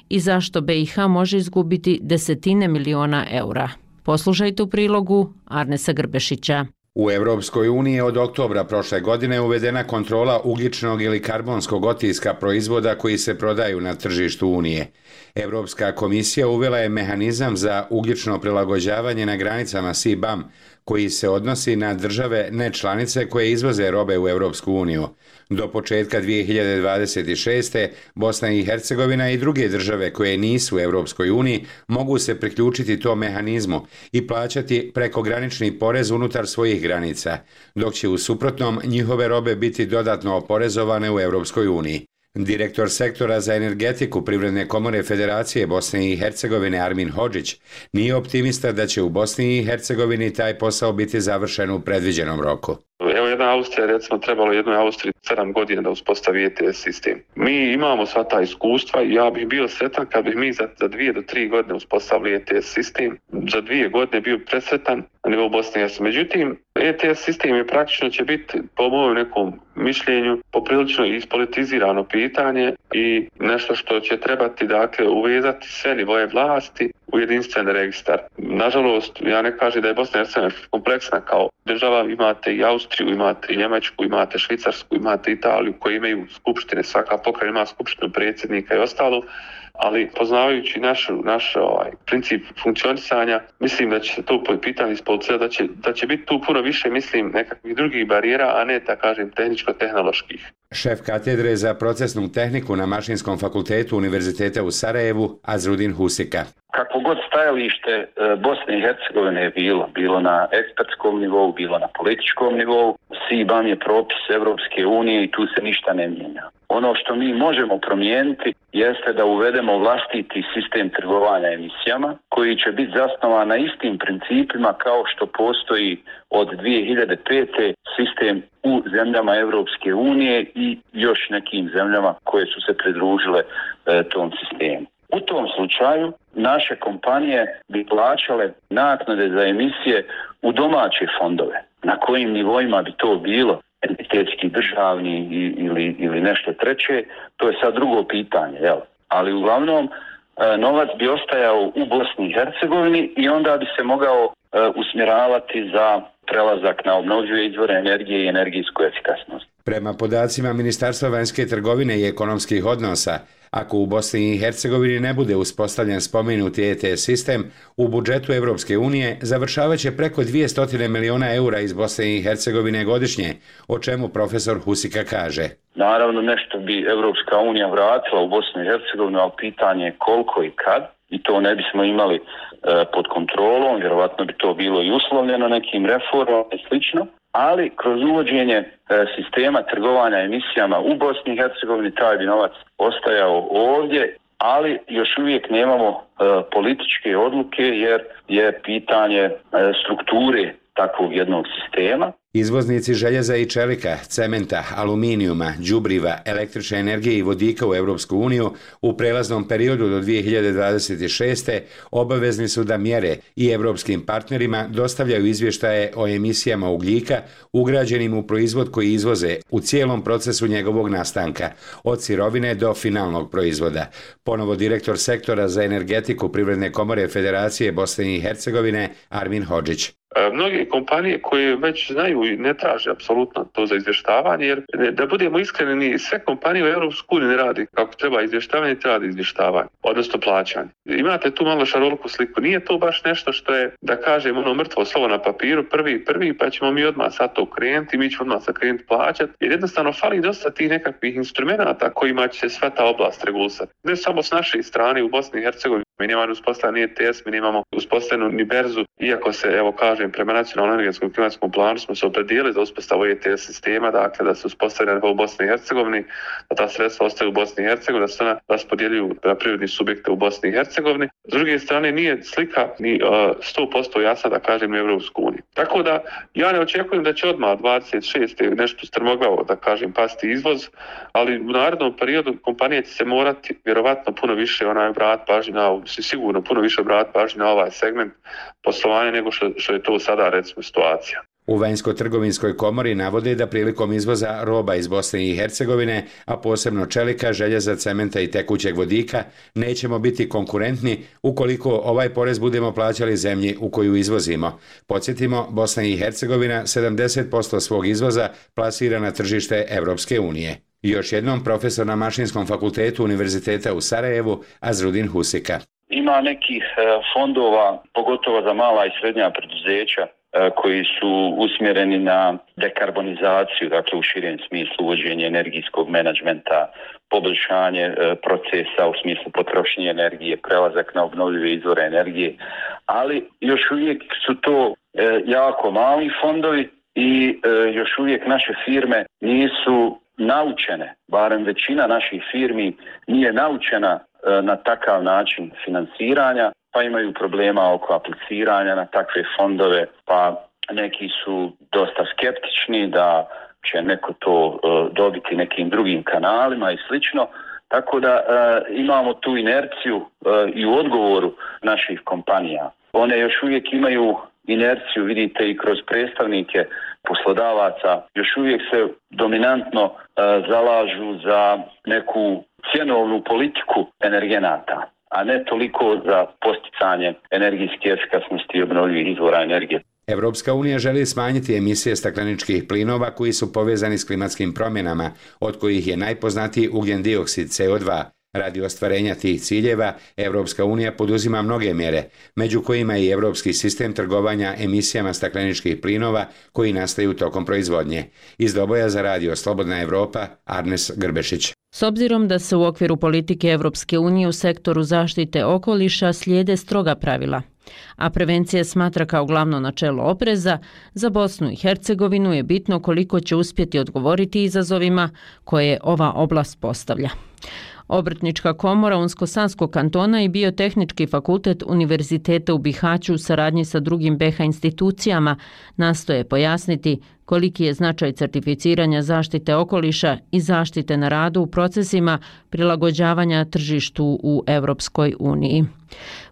Speaker 9: i zašto B i H može izgubiti desetine miliona eura? Poslušajte u prilogu Arnesa Grbešića.
Speaker 16: U Europskoj uniji je od oktobra prošle godine uvedena kontrola ugljičnog ili karbonskog otiska proizvoda koji se prodaju na tržištu Unije. Europska komisija uvela je mehanizam za ugljično prilagođavanje na granicama S I B A M, koji se odnosi na države nečlanice koje izvoze robe u Europsku uniju. Do početka dvije hiljade dvadeset šeste. Bosna i Hercegovina i druge države koje nisu u Europskoj uniji mogu se priključiti tom mehanizmu i plaćati prekogranični porez unutar svojih granica, dok će u suprotnom njihove robe biti dodatno oporezovane u Europskoj uniji. Direktor sektora za energetiku Privredne komore Federacije Bosne i Hercegovine Armin Hodžić nije optimista da će u Bosni i Hercegovini taj posao biti završen u predviđenom roku.
Speaker 13: Evo jedna Austrija, recimo, trebalo jednoj Austriji sedam godina da uspostavi E T S sistem. Mi imamo sva ta iskustva i ja bih bio sretan kad bih mi za, za dvije do tri godine uspostavili E T S sistem. Za dvije godine bio presretan na nivou Bosne i Hercegovine. Međutim, E T S sistem je praktično će biti, po mojem nekom mišljenju, poprilično ispolitizirano pitanje i nešto što će trebati, dakle, uvezati sve nivoje vlasti u jedinstven registar. Nažalost, ja ne kažem da je Bosna i Hercegovina kompleksna kao država, imate i Austriju, imate i Njemačku, imate Švicarsku, imate Italiju koji imaju skupštine, svaka pokrajina ima skupštinu predsjednika i ostalo, ali poznavajući naš, naš ovaj, princip funkcionisanja, mislim da će se to pitanje ispolicirati, da će, da će biti tu puno više, mislim, nekakvih drugih barijera, a ne, da kažem, tehničko-tehnoloških.
Speaker 16: Šef katedre za procesnu tehniku na Mašinskom fakultetu Univerziteta u Sarajevu, Azrudin Husika.
Speaker 7: Kakvo god stajalište Bosne i Hercegovine je bilo, bilo na ekspertskom nivou, bilo na političkom nivou, S I B A M je propis Evropske unije i tu se ništa ne mijenja. Ono što mi možemo promijeniti jeste da uvedemo vlastiti sistem trgovanja emisijama koji će biti zasnovan na istim principima kao što postoji od dvije hiljade pete sistem u zemljama Evropske unije i još nekim zemljama koje su se pridružile e, tom sistemu. U tom slučaju naše kompanije bi plaćale naknade za emisije u domaće fondove. Na kojim nivoima bi to bilo, entitetski, državni ili, ili nešto treće, to je sad drugo pitanje. Jel? Ali uglavnom novac bi ostajao u Bosni i Hercegovini i onda bi se mogao usmjeravati za prelazak na obnovljive izvore energije i energijsku efikasnost.
Speaker 16: Prema podacima Ministarstva vanjske trgovine i ekonomskih odnosa, ako u Bosni i Hercegovini ne bude uspostavljen spomenuti E T S sistem, u budžetu Evropske unije završavat će preko dvjesto miliona eura iz Bosne i Hercegovine godišnje, o čemu profesor Husika kaže.
Speaker 7: Naravno, nešto bi Evropska unija vratila u Bosnu i Hercegovinu, ali pitanje je koliko i kad, i to ne bismo imali e, pod kontrolom, vjerovatno bi to bilo i uslovljeno nekim reformama i slično. Ali kroz uvođenje e, sistema trgovanja emisijama u Bosni i Hercegovini taj bi novac ostajao ovdje, ali još uvijek nemamo e, političke odluke jer je pitanje e, strukture takvog jednog sistema.
Speaker 16: Izvoznici željeza i čelika, cementa, aluminijuma, đubriva, električne energije i vodika u Evropsku uniju u prelaznom periodu do dvije hiljade dvadeset šeste. obavezni su da mjere i evropskim partnerima dostavljaju izvještaje o emisijama ugljika ugrađenim u proizvod koji izvoze u cijelom procesu njegovog nastanka, od sirovine do finalnog proizvoda. Ponovo direktor sektora za energetiku Privredne komore Federacije Bosne i Hercegovine Armin Hodžić.
Speaker 13: Mnoge kompanije koje već znaju i ne traže apsolutno to za izvještavanje, jer da budemo iskreni, sve kompanije u Europskoj uniji ne radi kako treba izvještavanje, treba radi izvještavanje, odnosno plaćanje. Imate tu malo šaroliku sliku. Nije to baš nešto što je, da kažem, ono mrtvo slovo na papiru, prvi, prvi, pa ćemo mi odmah sad to krenuti, mi ćemo odmah sad krenuti plaćati, jer jednostavno fali dosta tih nekakvih instrumenta kojima će se sva ta oblast regulisati. Ne samo s naše strane u Bosni i Hercegovini, mi nemamo uspostavljeni E T S, mi nemamo uspostavljenu ni berzu, iako se, evo kažem, prema nacionalnom energetskom klimatskom planu smo se opredijelili za uspostavu E T S sistema, dakle da se uspostavljena u Bosni i Hercegovini, da ta sredstva ostaju u Bosni i Hercegovini, da se ona raspodjeljuju na prirodni subjekte u Bosni i Hercegovini. S druge strane, nije slika ni uh, sto posto jasna, da kažem, u Evropsku uniju. Tako da, ja ne očekujem da će odmah dvadeset šeste nešto strmoglavo, da kažem, pasti izvoz, ali u narednom periodu kompanije će se morati vjerovatno puno više onaj vrat pažnje na, sigurno puno više vrat pažnje na ovaj segment poslovanja nego što, što je to sada, recimo, situacija.
Speaker 16: U Vanjsko-trgovinskoj komori navode da prilikom izvoza roba iz Bosne i Hercegovine, a posebno čelika, željeza, cementa i tekućeg vodika, nećemo biti konkurentni ukoliko ovaj porez budemo plaćali zemlji u koju izvozimo. Podsjetimo, Bosna i Hercegovina sedamdeset posto svog izvoza plasira na tržište Evropske unije. Još jednom profesor na Mašinskom fakultetu Univerziteta u Sarajevu, Azrudin Husika.
Speaker 7: Ima nekih fondova, pogotovo za mala i srednja preduzeća, koji su usmjereni na dekarbonizaciju, dakle u širem smislu uvođenje energijskog menadžmenta, poboljšanje procesa u smislu potrošnje energije, prelazak na obnovljive izvore energije, ali još uvijek su to jako mali fondovi i još uvijek naše firme nisu naučene, barem većina naših firmi nije naučena na takav način financiranja, pa imaju problema oko apliciranja na takve fondove, pa neki su dosta skeptični da će neko to uh, dobiti nekim drugim kanalima i slično. Tako da uh, imamo tu inerciju uh, i u odgovoru naših kompanija. One još uvijek imaju inerciju, vidite, i kroz predstavnike poslodavaca, još uvijek se dominantno uh, zalažu za neku cjenovnu politiku energenata, a ne toliko za posticanje energijske efikasnosti i obnovljivih izvora energije.
Speaker 16: Evropska unija želi smanjiti emisije stakleničkih plinova koji su povezani s klimatskim promjenama, od kojih je najpoznatiji ugljen dioksid C O dva. Radi ostvarenja tih ciljeva, Evropska unija poduzima mnoge mjere, među kojima i Evropski sistem trgovanja emisijama stakleničkih plinova koji nastaju tokom proizvodnje. Iz Doboja za radio Slobodna Evropa, Arnes Grbešić.
Speaker 9: S obzirom da se u okviru politike Evropske unije u sektoru zaštite okoliša slijede stroga pravila, a prevencija smatra kao glavno načelo opreza, za Bosnu i Hercegovinu je bitno koliko će uspjeti odgovoriti izazovima koje ova oblast postavlja. Obrtnička komora Unsko-Sanskog kantona i Biotehnički fakultet Univerziteta u Bihaću u saradnji sa drugim B iH institucijama nastoje pojasniti koliki je značaj certificiranja zaštite okoliša i zaštite na radu u procesima prilagođavanja tržištu u Europskoj uniji.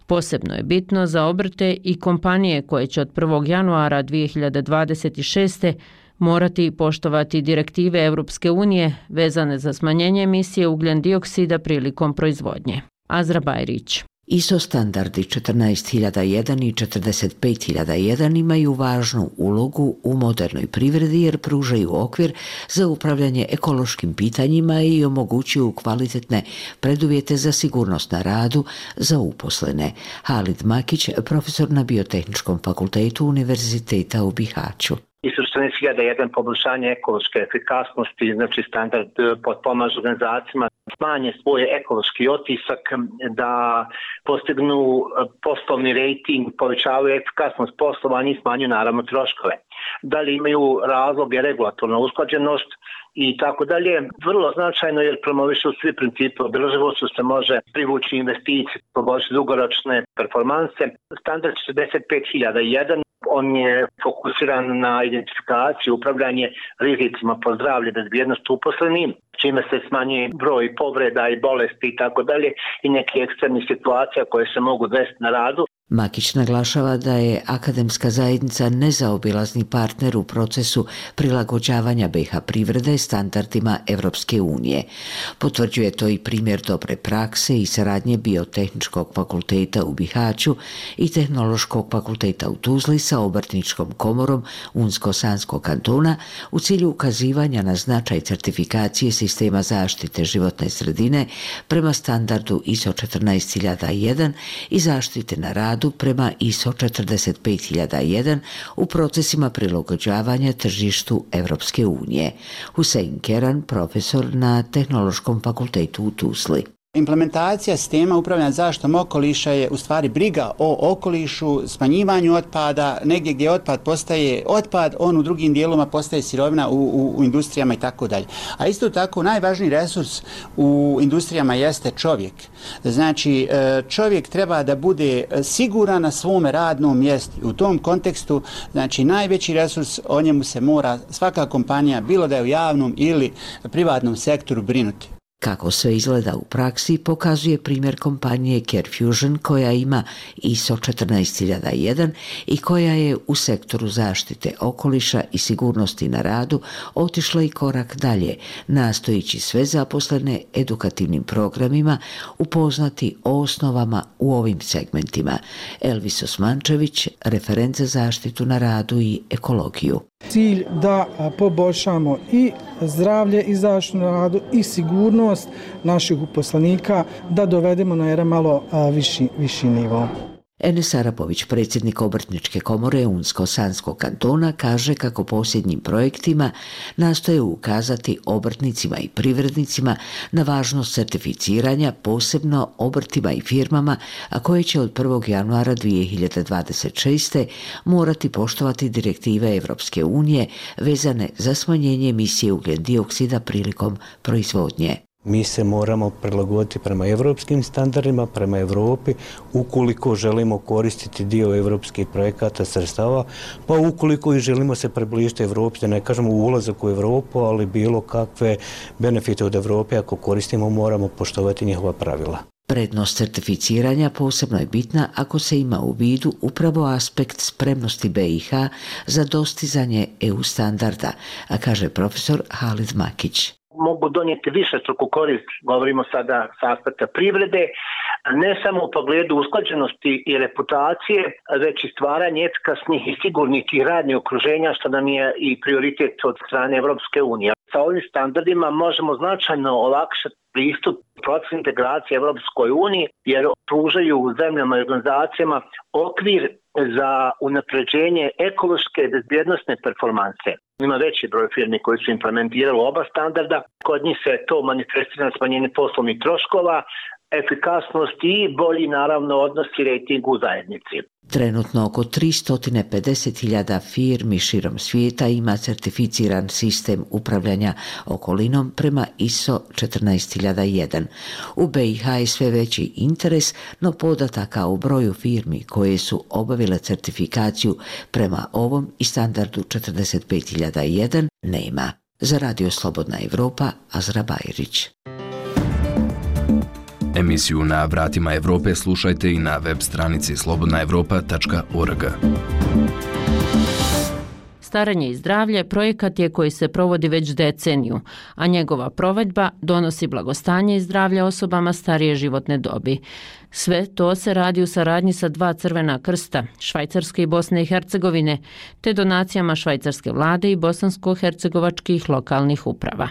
Speaker 9: Posebno je bitno za obrte i kompanije koje će od prvog januara dvije hiljade dvadeset šeste morati poštovati direktive Europske unije vezane za smanjenje emisije ugljen dioksida prilikom proizvodnje. Azra Bajrić.
Speaker 17: I S O standardi četrnaest hiljada jedan i četrdeset pet hiljada jedan imaju važnu ulogu u modernoj privredi jer pružaju okvir za upravljanje ekološkim pitanjima i omogućuju kvalitetne preduvjete za sigurnost na radu za uposlene. Halid Makić, profesor na Biotehničkom fakultetu Univerziteta u Bihaću.
Speaker 18: I S O četrnaest hiljada jedan poboljšanje ekološke efikasnosti, znači standard potpomaže organizacijama smanje svoj ekološki otisak, da postignu poslovni rejting, povećavaju efikasnost poslovanja i smanjuju naravno troškove. Da li imaju razloge regulatorna usklađenost i tako dalje. Vrlo značajno jer promovišu svi principi održivosti, se može privući investicije, poboljšati dugoročne performanse. Standard četrdeset pet hiljada jedan on je fokusiran na identifikaciju, upravljanje rizicima po zdravlje, bezbjednost uposlenih, čime se smanjuje broj povreda i bolesti i tako dalje i neke ekstremnih situacija koje se mogu desiti na radu.
Speaker 17: Makić naglašava da je akademska zajednica nezaobilazni partner u procesu prilagođavanja B iH privrede standardima Evropske unije. Potvrđuje to i primjer dobre prakse i saradnje Biotehničkog fakulteta u Bihaću i Tehnološkog fakulteta u Tuzli sa Obrtničkom komorom Unsko-Sanskog kantona u cilju ukazivanja na značaj certifikacije sistema zaštite životne sredine prema standardu I S O četrnaest hiljada jedan i zaštite na radu prema I S O četrdeset pet hiljada jedan u procesima prilagođavanja tržištu Evropske unije. Husein Keran, profesor na Tehnološkom fakultetu u Tuzli.
Speaker 19: Implementacija sistema upravljanja zaštitom okoliša je u stvari briga o okolišu, smanjivanju otpada, negdje gdje otpad postaje otpad, on u drugim dijelovima postaje sirovina u, u, u industrijama i tako dalje. A isto tako najvažniji resurs u industrijama jeste čovjek. Znači čovjek treba da bude siguran na svome radnom mjestu. U tom kontekstu znači najveći resurs, o njemu se mora svaka kompanija, bilo da je u javnom ili privatnom sektoru, brinuti.
Speaker 17: Kako sve izgleda u praksi pokazuje primjer kompanije CareFusion koja ima I S O četrnaest hiljada jedan i koja je u sektoru zaštite okoliša i sigurnosti na radu otišla i korak dalje, nastojići sve zaposlene edukativnim programima upoznati o osnovama u ovim segmentima. Elvis Osmančević, referent za zaštitu na radu i ekologiju.
Speaker 21: Cilj da poboljšamo i zdravlje i zaštitu na radu i sigurnost naših uposlenika, da dovedemo na jedan malo viši, viši nivo.
Speaker 17: Enes Arapović, predsjednik Obrtničke komore Unsko-Sanskog kantona, kaže kako posljednjim projektima nastoje ukazati obrtnicima i privrednicima na važnost certificiranja, posebno obrtima i firmama, a koje će od prvog januara dvije hiljade dvadeset šeste morati poštovati direktive Evropske unije vezane za smanjenje emisije ugljen dioksida prilikom proizvodnje.
Speaker 23: Mi se moramo prilagoditi prema evropskim standardima, prema Evropi, ukoliko želimo koristiti dio evropskih projekata sredstava, pa ukoliko i želimo se približiti Evropi, da ne kažemo ulazak u Evropu, ali bilo kakve benefite od Evrope, ako koristimo, moramo poštovati njihova pravila.
Speaker 17: Prednost certificiranja posebno je bitna ako se ima u vidu upravo aspekt spremnosti B iH za dostizanje E U standarda, a kaže profesor Halid Makić.
Speaker 18: Mogu donijeti više struku korist, govorimo sada sa aspekta privrede, ne samo u pogledu usklađenosti i reputacije, već i stvaranje efikasnih i sigurnih i radnih okruženja, što nam je i prioritet od strane Evropske unije. Sa ovim standardima možemo značajno olakšati pristup procesu integracije Evropskoj uniji jer pružaju zemljama i organizacijama okvir za unapređenje ekološke i bezbjednostne performanse. Ima veći broj firmi koji su implementirali oba standarda. Kod njih se to manifestira na smanjenje poslovnih troškova, efikasnost i bolji naravno odnos i rejting u zajednici.
Speaker 17: Trenutno oko tristo pedeset hiljada firmi širom svijeta ima certificiran sistem upravljanja okolinom prema I S O četrnaest hiljada jedan. U B i H je sve veći interes, no podataka o broju firmi koje su obavile certifikaciju prema ovom i standardu četrdeset pet hiljada jedan nema. Za Radio Slobodna Evropa, Azra Bajrić.
Speaker 20: Emisiju Na vratima Evrope slušajte i na web stranici slobodna evropa tačka org.
Speaker 9: Staranje i zdravlje projekat je koji se provodi već deceniju, a njegova provedba donosi blagostanje i zdravlje osobama starije životne dobi. Sve to se radi u saradnji sa dva Crvena krsta, Švajcarske i Bosne i Hercegovine, te donacijama švajcarske vlade i bosansko-hercegovačkih lokalnih uprava.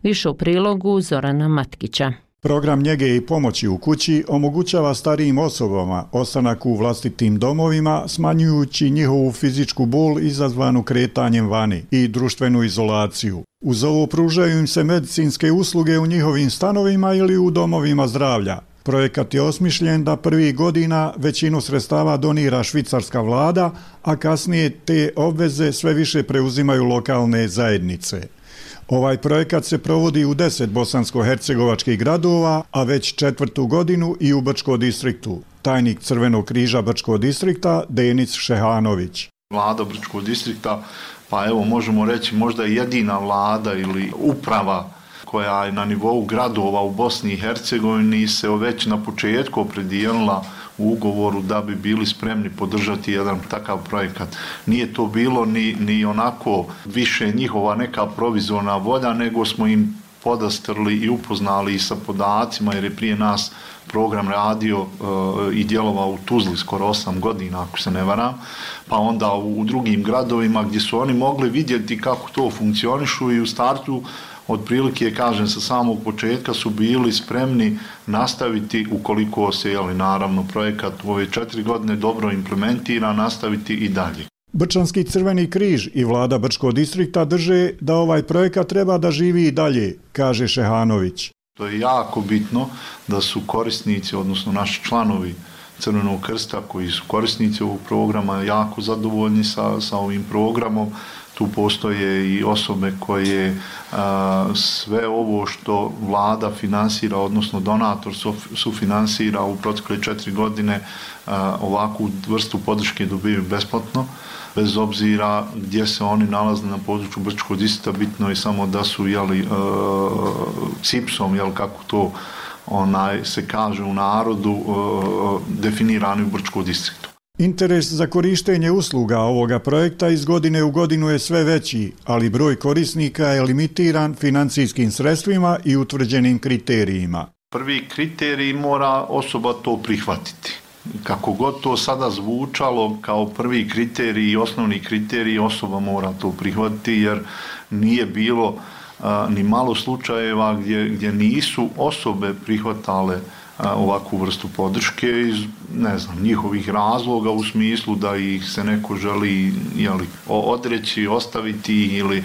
Speaker 9: Više u prilogu Zorana Matkića.
Speaker 1: Program njege i pomoći u kući omogućava starijim osobama ostanak u vlastitim domovima, smanjujući njihovu fizičku bol izazvanu kretanjem vani i društvenu izolaciju. Uz ovo pružaju im se medicinske usluge u njihovim stanovima ili u domovima zdravlja. Projekat je osmišljen da prvih godina većinu sredstava donira švicarska vlada, a kasnije te obveze sve više preuzimaju lokalne zajednice. Ovaj projekat se provodi u deset bosansko-hercegovačkih gradova, a već četvrtu godinu i u Brčko distriktu. Tajnik Crvenog križa Brčko distrikta Denis Šehanović.
Speaker 6: Vlada Brčkog distrikta, pa evo možemo reći možda jedina vlada ili uprava koja je na nivou gradova u Bosni i Hercegovini se već na početku opredijelila u ugovoru da bi bili spremni podržati jedan takav projekat. Nije to bilo ni, ni onako više njihova neka provizorna volja, nego smo im podastrli i upoznali sa podacima, jer je prije nas program radio e, i djelovao u Tuzli skoro osam godina, ako se ne varam, pa onda u, u drugim gradovima gdje su oni mogli vidjeti kako to funkcionišu i u startu otprilike, kažem, sa samog početka su bili spremni nastaviti, ukoliko se, jeli, naravno, projekat u ove četiri godine dobro implementira, nastaviti i dalje.
Speaker 1: Brčanski Crveni križ i vlada Brčkog distrikta drže da ovaj projekat treba da živi i dalje, kaže Šehanović.
Speaker 6: To je jako bitno da su korisnici, odnosno naši članovi Crvenog krsta koji su korisnici ovog programa jako zadovoljni sa, sa ovim programom. Tu postoje i osobe koje a, sve ovo što vlada finansira, odnosno donator sufinansira u protekle četiri godine, a, ovakvu vrstu podrške dobiju besplatno, bez obzira gdje se oni nalaze na području Brčkog distrikta. Bitno je samo da su, jeli, cipsom, jel, kako to onaj se kaže u narodu, a, definirani u Brčkog distriktu.
Speaker 1: Interes za korištenje usluga ovoga projekta iz godine u godinu je sve veći, ali broj korisnika je limitiran financijskim sredstvima i utvrđenim kriterijima.
Speaker 6: Prvi kriterij mora osoba to prihvatiti. Kako god to sada zvučalo kao prvi kriterij i osnovni kriterij, osoba mora to prihvatiti, jer nije bilo a, ni malo slučajeva gdje, gdje nisu osobe prihvatale ovakvu vrstu podrške iz, ne znam, njihovih razloga, u smislu da ih se neko želi, jeli, odreći, ostaviti ili,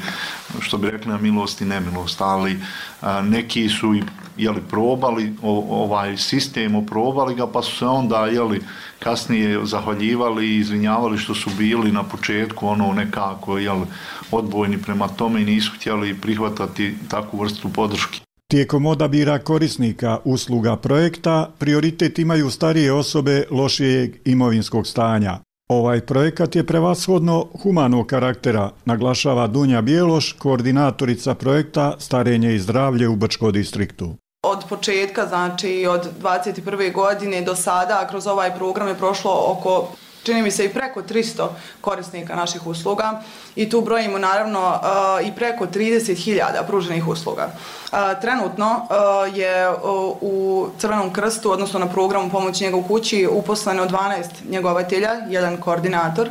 Speaker 6: što bi rekli, na milost i nemilost, ali a, neki su i, jeli, probali o, ovaj sistem, oprobali ga, pa su se onda, jeli, kasnije zahvaljivali i izvinjavali što su bili na početku ono nekako, jeli, odbojni prema tome i nisu htjeli prihvatati takvu vrstu podrške.
Speaker 1: Tijekom odabira korisnika usluga projekta prioritet imaju starije osobe lošijeg imovinskog stanja. Ovaj projekat je prevashodno humanog karaktera, naglašava Dunja Bjeloš, koordinatorica projekta Starenje i zdravlje u Brčkom distriktu.
Speaker 22: Od početka, znači od dvadeset prve godine do sada, kroz ovaj program je prošlo oko, čini mi se, i preko tristo korisnika naših usluga i tu brojimo naravno uh, i preko trideset hiljada pruženih usluga. Uh, trenutno uh, je uh, u Crvenom krstu, odnosno na programu pomoći njega u kući, uposleno dvanaest njegovatelja, jedan koordinator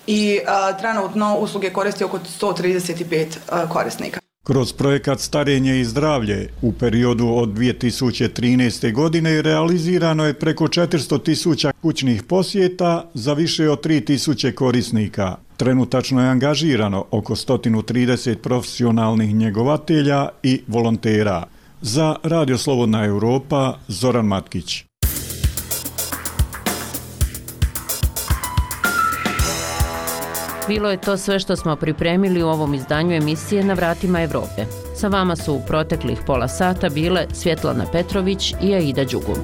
Speaker 22: i uh, trenutno usluge koristi oko sto trideset pet uh, korisnika.
Speaker 1: Kroz projekat Starenje i zdravlje u periodu od dvije tisuće trinaeste. godine realizirano je preko četiristo tisuća kućnih posjeta za više od tri tisuće korisnika. Trenutačno je angažirano oko sto trideset profesionalnih njegovatelja i volontera. Za Radio Slobodna Europa, Zoran Matkić.
Speaker 9: Bilo je to sve što smo pripremili u ovom izdanju emisije Na vratima Evrope. Sa vama su u proteklih pola sata bile Svjetlana Petrović i Aida Đugum.